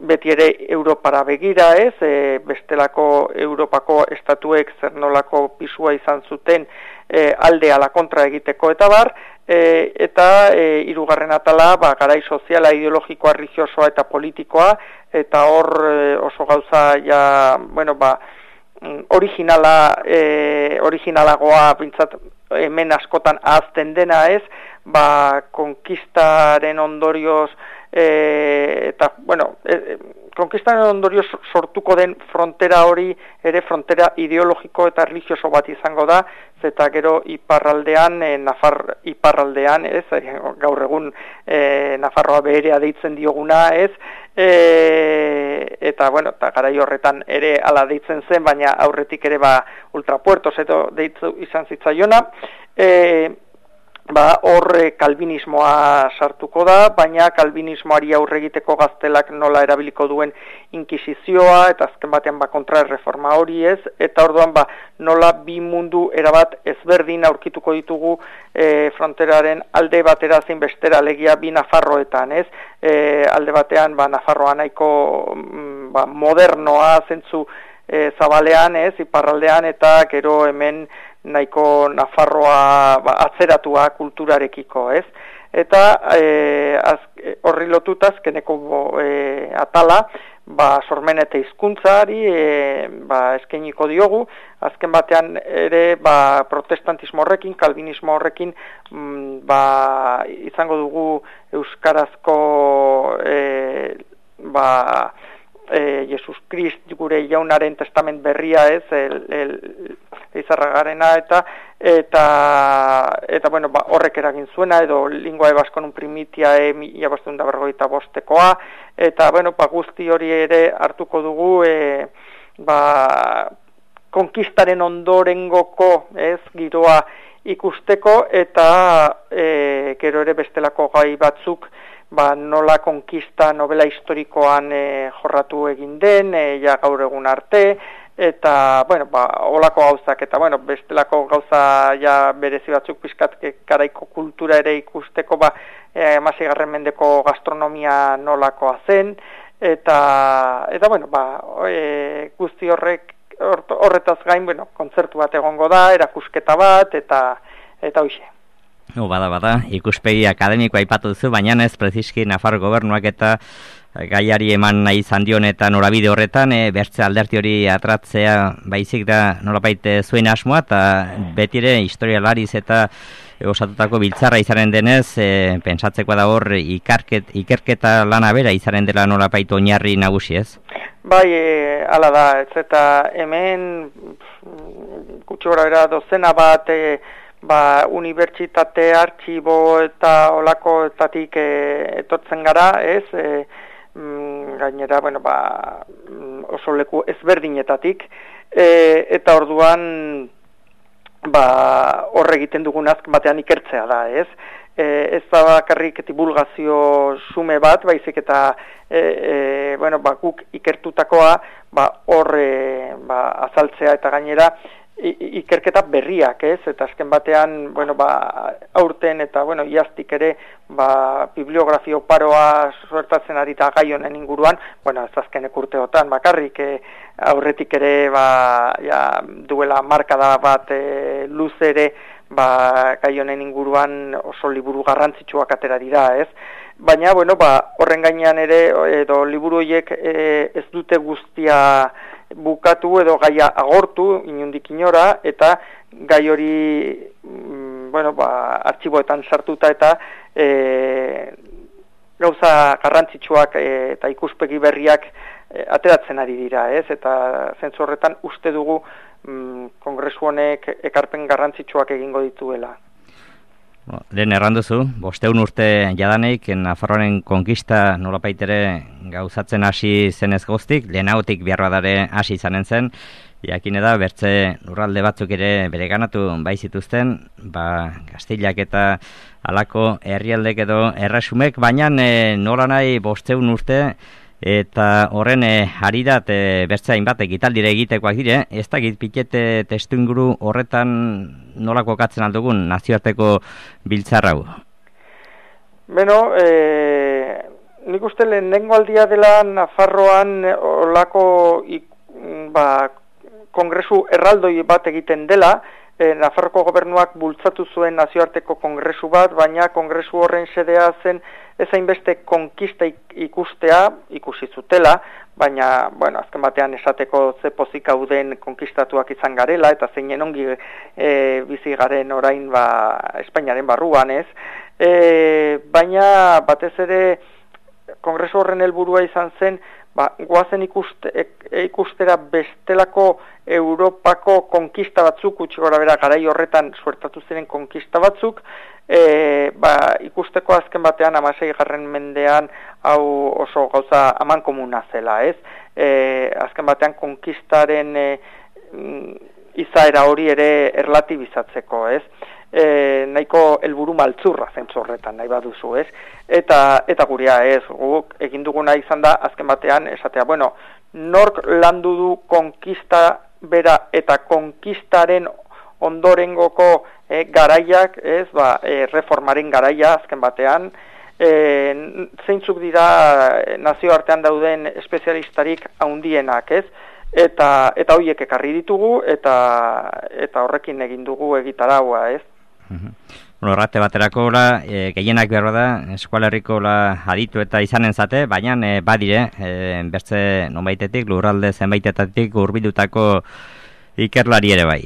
beti ere Europara begira, ez, e, bestelako Europako estatuek zer nolako pisua izan zuten e, alde ala kontra egiteko eta bar, e, eta e, hirugarren atala, ba, garai soziala, ideologikoa, religiosoa eta politikoa, eta hor e, oso gauza ja, bueno, ba, originala, e, originalagoa bintzat hemen askotan ahazten dena, ez, ba, konkistaren ondorioz, e, eta, bueno, e, konkistaren ondorioz sortuko den frontera hori, ere frontera ideologiko eta religioso bat izango da, eta gero iparraldean, e, Nafar iparraldean, ez, gaur egun e, Nafarroa beherea deitzen dioguna, ez, e, eta, bueno, eta garai horretan ere ala deitzen zen, baina aurretik ere ba ultrapuertos edo deitzu izan zitzaiona, e, ba hor kalbinismoa sartuko da, baina kalbinismoari aurre egiteko Gaztelak nola erabiliko duen inkisizioa, eta azken batean ba kontraerreforma hori, ez, eta orduan ba nola bi mundu erabat ezberdin aurkituko ditugu e, fronteraren alde batera zein bestera, alegia bi Nafarroetan, ez, e, alde batean ba Nafarroa nahiko mm, ba, modernoa zentzu e, zabalean, ez, iparraldean, eta gero hemen nahiko Nafarroa ba, atzeratua kulturarekiko, ez? Eta e, az, horri lotuta azkeneko e, atala, ba, sormen eta hizkuntzari e, ba, eskainiko diogu, azken batean ere ba, protestantismo horrekin, kalbinismo horrekin, mm, ba, izango dugu euskarazko e, ba, e, Jesus Krist gure jaunaren testament berria, ez, el, el, izarragarena, eta eta eta bueno, ba, horrek eragin zuena, edo lingua ebaskonun primitia e mila bostehun eta berrogeita bostekoa, eta bueno, ba, guzti hori ere hartuko dugu e, ba, konkistaren ondorengoko, ez, giroa ikusteko, eta e, gero ere bestelako gai batzuk, ba, nola konkista novela historikoan e, jorratu egin den, e, ja gaur egun arte, eta, bueno, ba, olako gauzak, eta, bueno, bestelako gauza ja berezi batzuk pizkat garaiko kultura ere ikusteko, ba, e, hamaseigarren mendeko gastronomia nolakoa zen, eta, eta bueno, ba, e, guzti horrek, horretaz gain, bueno, kontzertu bat egongo da, erakusketa bat, eta, eta hoxe.
No, bada, bada, ikuspegi akademikoa aipatu duzu, baina ez preziski Nafar gobernuak eta gaiari eman nahi izan dion eta norabide horretan, e, bertze alderti hori atratzea baizik da nolapait zuen asmoa, eta betire historialariz eta osatutako biltzarra izaren denez, e, pentsatzeko da hor ikarket, ikerketa lana bera izaren dela nolapait oinarri nagusi, ez?
Bai, e, ala da, ez eta hemen gutxi gora bera dozena bat, e, ba, unibertsitate, artxibo eta olakoetatik e, etortzen gara, ez, e, mm, gainera, bueno, ba, oso leku ezberdinetatik, e, eta orduan, ba, horre egiten dugun azken batean ikertzea da, ez, e, ez da bakarrik divulgazio sume bat, baizik eta, e, e, bueno, ba, guk ikertutakoa, ba, horre, ba, azaltzea eta gainera, ikerketa berriak, ez, eta azken batean, bueno, ba, aurten eta, bueno, iaztik ere, ba, bibliografio paroa suertatzen ari da gai honen inguruan, bueno, ez azkenek urteotan, bakarrik, e, aurretik ere, ba, ja, duela markada bat e, luz ere, ba, gai honen inguruan oso liburu garrantzitsuak atera dira, ez? Baina, bueno, ba, horren gainean ere, edo liburu horiek e, ez dute guztia bukatu edo gaia agortu, inundik inora, eta gai hori, mm, bueno, ba, artxiboetan sartuta eta e, gauza garrantzitsuak e, eta ikuspegi berriak e, ateratzen ari dira, ez? Eta zentzu horretan uste dugu mm, kongresu honek ekarpen garrantzitsuak egingo dituela.
Lehen erranduzu, bosteun urte jadaneik, Nafarroaren konkista nolapaitere gauzatzen hasi zenez goztik, lehenagotik beharbadare hasi izanen zen, jakin da, bertze lurralde batzuk ere bereganatu bai zituzten, ba, Kastilak eta halako herrialdek edo erresumek, baina e, nola nahi bosteun urte, eta horren e, haridat e, bertze hainbat egitaldire egitekoak dire, ez da pitete testu inguru horretan nolako katzen aldugun nazioarteko biltzarrau?
Beno, e, nik uste lehenengo aldia dela Nafarroan olako ba, kongresu erraldoi bat egiten dela, e, Nafarroko gobernuak bultzatu zuen nazioarteko kongresu bat, baina kongresu horren sedea zen ezain beste konkista ikustea, ikusi zutela, baina, bueno, azken batean esateko ze pozik hauden konkistatuak izan garela, eta zeinen ongi e, bizi garen orain ba, Espainiaren barruan, ez? E, baina, batez ere, kongresu horren helburua izan zen, ba, goazen ikuste, ikustera bestelako Europako konkista batzuk, utzi gora bera garai horretan suertatu ziren konkista batzuk, e, ba, ikusteko azken batean hamasei garren mendean hau oso gauza aman komuna zela, ez? E, azken batean konkistaren e, izaera hori ere erlatibizatzeko, ez? E, nahiko helburu maltzurra zentzu horretan, nahi baduzu, ez? Eta, eta gurea ez, guk egin duguna izan da, azken batean, esatea, bueno, nork landu du konkista bera eta konkistaren ondorengoko e, garaiak, ez, ba, e, reformaren garaia azken batean, e, zeintzuk dira nazioartean dauden espezialistarik haundienak, ez? Eta eta hoiek ekarri ditugu eta eta horrekin egin dugu egitaraua, ez?
Mhm. Bueno, errate baterako la, e, gehienak behar da, eskualerriko la aditu eta izanen zate, baina e, badire, e, bertze nonbaitetik, lurralde zenbaitetatik urbildutako ikerlari ere bai.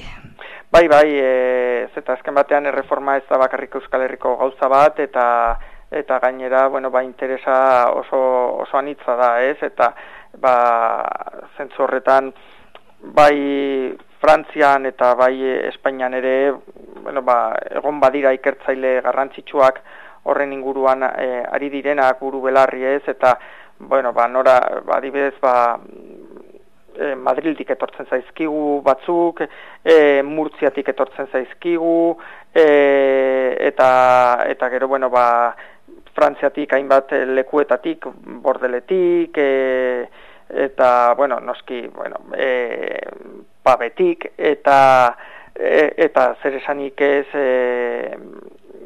Bai, bai, e, zeta azken batean erreforma ez da bakarrik Euskal Herriko gauza bat, eta eta gainera, bueno, ba, interesa oso, oso anitza da, ez? Eta, ba, zentzu horretan, bai Frantzian eta bai Espainian ere, bueno, ba, egon badira ikertzaile garrantzitsuak horren inguruan e, ari direnak buru belarri, ez? Eta, bueno, ba, nora, ba, adibidez, ba, e, Madrildik etortzen zaizkigu batzuk, e, Murtziatik etortzen zaizkigu, e, eta, eta gero, bueno, ba, Frantziatik hainbat lekuetatik, Bordeletik, e, eta, bueno, noski, bueno, e, Pabetik, eta, e, eta zer esanik ez, e,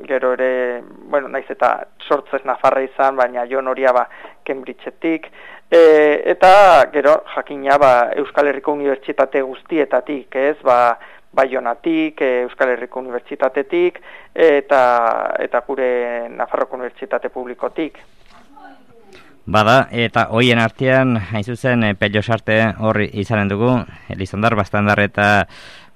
gero ere, bueno, naiz eta sortzez Nafarra izan, baina Jon Oria ba, Cambridgeetik, e, eta gero jakina ba, Euskal Herriko Unibertsitate guztietatik, ez, ba, Baionatik, Euskal Herriko Unibertsitatetik, eta, eta gure Nafarroko Unibertsitate Publikotik.
Bada, eta hoien artean, hain zuzen, Pello Sarte horri izanen dugu, Elizondar Bastandar eta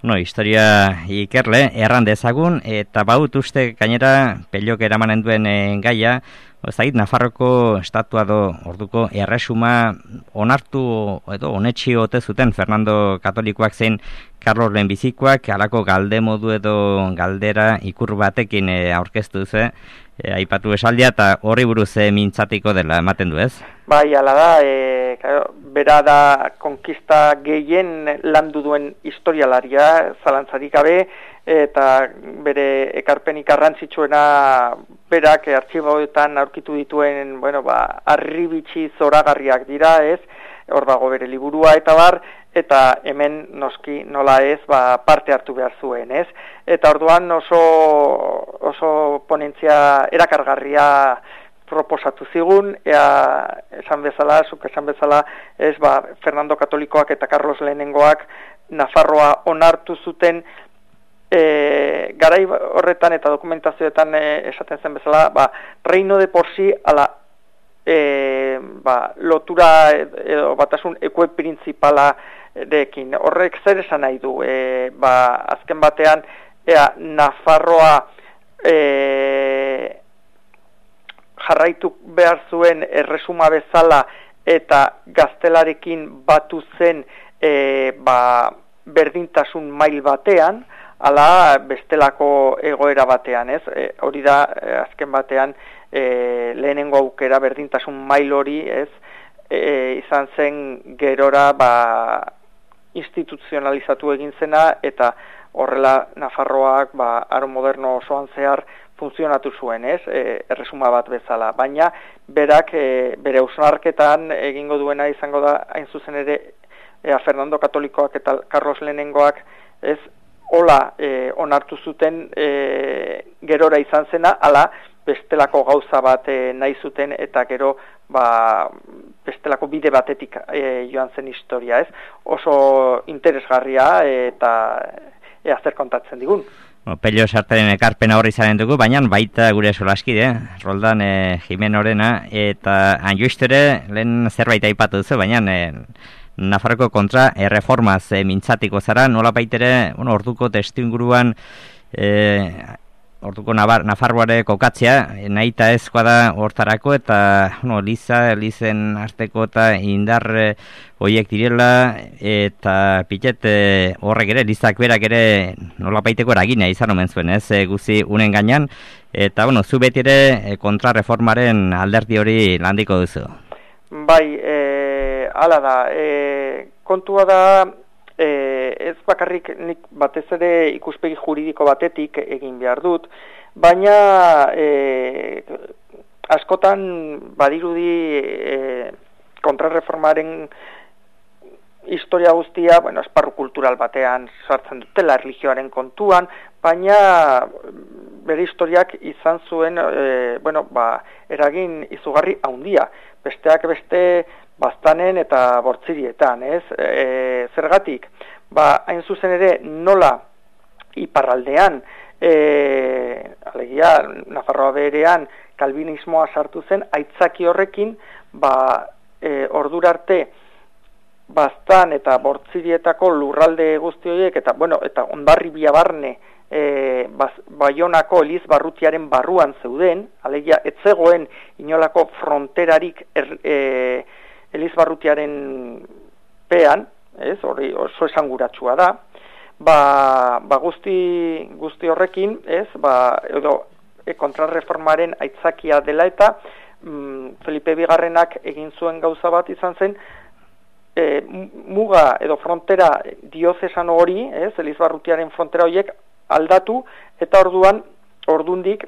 no, historia ikerle, erran dezagun, eta baut uste gainera Pellok eramanen duen e, gaia, Zait, Nafarroko estatua do orduko erresuma onartu edo onetxi ote zuten Fernando Katolikoak zein Carlos lehenbizikoak, halako galde modu edo galdera ikur batekin e, aurkeztu ze, e, aipatu esaldia eta horri buruz e, mintzatiko dela ematen du ez?
Bai, ala da, e, claro, bera da konkista gehien landu duen historialaria, zalantzarik gabe, eta bere ekarpenik garrantzitsuena berak artxiboetan aurkitu dituen, bueno, ba, arribitsi zoragarriak dira, ez? Hor dago bere liburua eta bar, eta hemen noski nola ez, ba, parte hartu behar zuen, ez? Eta orduan oso oso ponentzia erakargarria proposatu zigun, ea esan bezala, zuk esan bezala, ez, ba, Fernando Katolikoak eta Carlos Lehenengoak Nafarroa onartu zuten e, garai horretan eta dokumentazioetan e, esaten zen bezala, ba, reino de por sí ala e, ba, lotura edo batasun ekue principala dekin. Horrek zer esan nahi du, e, ba, azken batean, ea, Nafarroa e, jarraitu behar zuen erresuma bezala eta gaztelarekin batu zen e, ba, berdintasun mail batean, ala bestelako egoera batean, ez? E, hori da, e, azken batean, e, lehenengo aukera berdintasun mail hori, ez? E, izan zen gerora, ba, instituzionalizatu egin zena, eta horrela Nafarroak, ba, aro moderno osoan zehar funtzionatu zuen, ez? E, erresuma bat bezala. Baina, berak, e, bere hausnarketan egingo duena izango da, hain zuzen ere, ea Fernando Katolikoak eta Carlos Lehenengoak, ez? Hola e, onartu zuten e, gerora izan zena, ala bestelako gauza bat e, nahi zuten eta gero ba, bestelako bide batetik e, joan zen historia, ez? Oso interesgarria eta ea zer kontatzen digun.
Bueno, Pello Sartaren ekarpena horri zaren dugu, baina baita gure solaskide, Roldan e, Jimenorena, eta Anjoistere lehen zerbait aipatu duzu, baina e, Nafarroko kontra erreformaz e, mintzatiko zara, nola baitere, bueno, orduko testu inguruan, e, orduko Nafarroare kokatzea, e, nahi eta ezkoa da hortarako, eta bueno, Liza, Lizen arteko eta indar e, hoiek direla, eta pitet e, horrek ere, Lizak berak ere nola baiteko eragina izan omen zuen, ez, e, guzi unen gainean, eta bueno, zu beti ere e, kontrareformaren alderdi hori landiko duzu.
Bai, e, ala da, e, kontua da, e, ez bakarrik nik batez ere ikuspegi juridiko batetik egin behar dut, baina e, askotan badirudi e, kontrarreformaren historia guztia, bueno, esparru kultural batean sartzen dutela erlijioaren kontuan, baina bere historiak izan zuen, e, bueno, ba, eragin izugarri handia. Besteak beste baztanen eta bortzirietan, ez? E, zergatik, ba, hain zuzen ere nola iparraldean, e, alegia, Nafarroa berean kalbinismoa sartu zen, aitzaki horrekin, ba, e, ordura arte, baztan eta bortzirietako lurralde guzti horiek, eta, bueno, eta ondarri biabarne, E, baz, Baionako Eliz Barrutiaren barruan zeuden, alegia etzegoen inolako fronterarik er, e, Eliz Barrutiaren pean, ez, hori oso esanguratsua da, ba, ba guzti, guzti horrekin, ez, ba, edo e, kontrarreformaren aitzakia dela eta mm, Felipe Bigarrenak egin zuen gauza bat izan zen, e, muga edo frontera diozesan hori, ez, Eliz Barrutiaren frontera horiek aldatu, eta orduan, ordundik,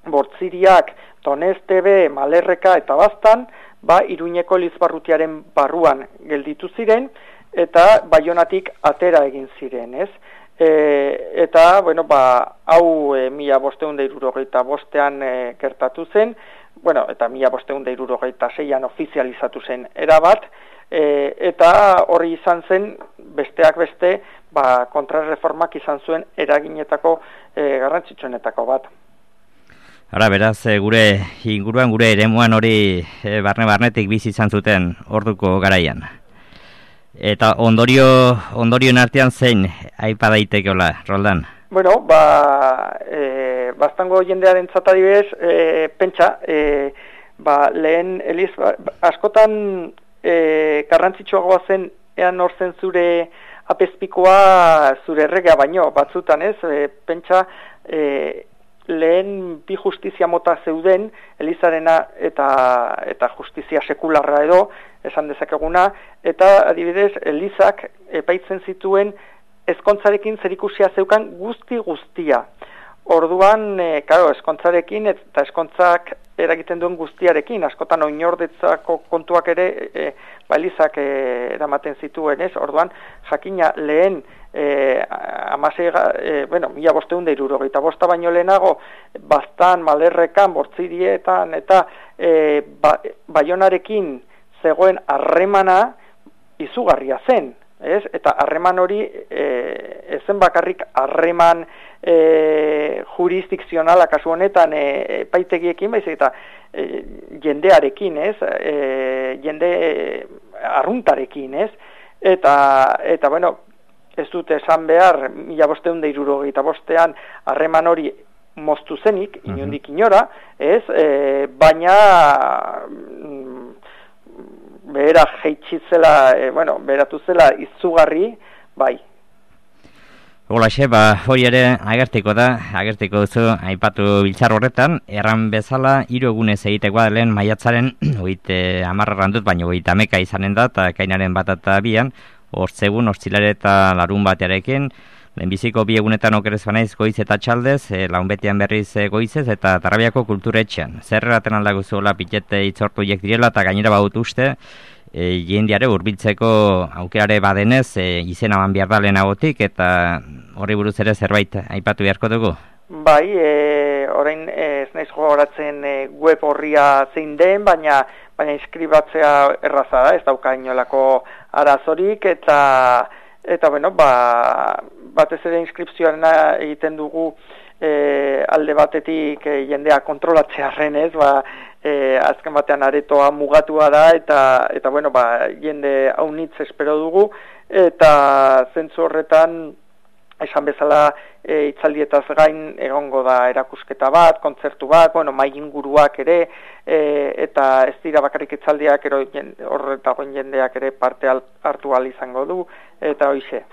bortziriak, Donestebe, Malerreka eta Baztan, ba, Iruñeko Elizbarrutiaren barruan gelditu ziren, eta Baionatik atera egin ziren, ez? E, eta, bueno, ba, hau e, mila bosteun da irurogeita bostean e, gertatu zen, bueno, eta mila bosteun da irurogeita seian ofizializatu zen erabat, e, eta hori izan zen, besteak beste, ba, kontrarreformak izan zuen eraginetako e, garrantzitsuenetako bat.
Ara, beraz, e, gure inguruan, gure eremuan hori e, barne-barnetik bizi izan zuten orduko garaian. Eta ondorio, ondorioen artean zein aipa daitekeola, Roldan?
Bueno, ba, e, bastango jendearen zatadibez, e, pentsa, e, ba, lehen Eliz, askotan e, garrantzitsuagoa zen, ean orzen zure apezpikoa zure erregea baino, batzutan ez, e, pentsa e, lehen bi justizia mota zeuden, Elizarena eta, eta justizia sekularra edo, esan dezakeguna, eta adibidez, Elizak epaitzen zituen ezkontzarekin zerikusia zeukan guzti guztia. Orduan, e, karo, eskontzarekin eta eskontzak eragiten duen guztiarekin, askotan oinordetzako kontuak ere, e, ba, Elizak e, eramaten zituen, ez? Orduan, jakina lehen, e, amasei, e, bueno, mila bosteun da irurogeita bosta baino lehenago, Baztan, Malerrekan, Bortzirietan, eta e, ba, Baionarekin zegoen harremana izugarria zen, ez? Eta harreman hori e, ezen bakarrik harreman e, jurisdikzionala kasu honetan e, epaitegiekin, baizik eta e, jendearekin, ez? E, jende arruntarekin, ez? Eta, eta bueno, ez dute esan behar, mila bosteun da irurogeita bostean harreman hori moztu zenik, inondik inora, ez? E, baina behera jeitxitzela, e, bueno, beheratu zela izugarri, bai.
Holaxe, ba, hori ere agertiko da, agertiko duzu aipatu biltzar horretan, erran bezala, hiru egunez egitekoa lehen maiatzaren, oite amarran dut, baina oite ameka izanen da, eta kainaren bat eta bian, hortzegun, hortzilare eta larun batearekin, lehenbiziko bi egunetan okerez banaiz goiz eta txaldez, e, launbetian berriz e, goizez eta Tarrabiako kulturetxean. Zer eraten aldago zuela pitete itzortu hiek direla eta gainera baut uste, e, jendiare hurbiltzeko aukerare badenez, e, izena ban behar da lehenagotik eta horri buruz ere zerbait aipatu beharko dugu?
Bai, e, orain ez naiz gogoratzen e, web horria zein den, baina baina inskribatzea erraza da, ez dauka inolako arazorik eta eta bueno, ba, batez ere inskripzioarena egiten dugu e, alde batetik e, jendea kontrolatzearren, ez, ba, e, azken batean aretoa mugatua da eta eta bueno, ba, jende haunitz espero dugu eta zentzu horretan esan bezala e, itzaldietaz gain egongo da erakusketa bat, kontzertu bat, bueno, mai inguruak ere e, eta ez dira bakarrik itzaldiak ero horretagoen jendeak ere parte hartu ahal izango du eta hoize.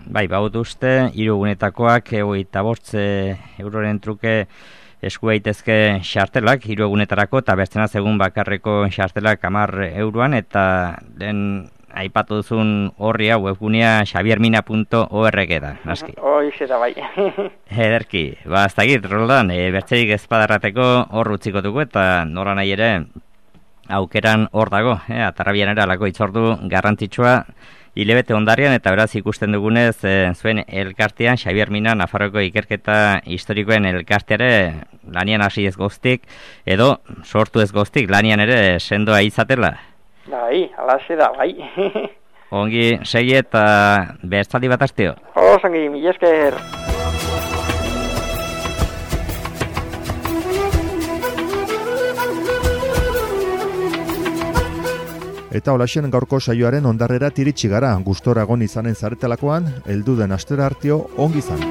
Bai, baut uste, hiru egunetakoak hogeita bost euroren truke esku daitezke xartelak, hiru egunetarako eta bertzena egun bakarreko xartelak hamar euroan eta den aipatu duzun horria webgunea xabiermina puntu org da, naski.
Hoize da bai.
Ederki, ba, ez dakit, Roldan, e, bertzerik ezpadarrateko hor utziko dugu eta nora nahi ere aukeran hor dago, e, Tarrabian ere alako itzordu garrantzitsua hilebete ondarrian eta beraz ikusten dugunez e, zuen elkartean, Xabier Mina, Nafarroko ikerketa historikoen elkarteare lanian hasi ez goztik, edo sortu ez goztik lanian ere sendoa izatela.
Bai, alaxe da, bai.
Ongi, segi eta berzaldi bat asteo.
Osongi, mila esker.
Eta holaxen gaurko saioaren ondarrera tiritsi gara, gustora egon izanen zaretelakoan, heldu den astera hartio ongi izan.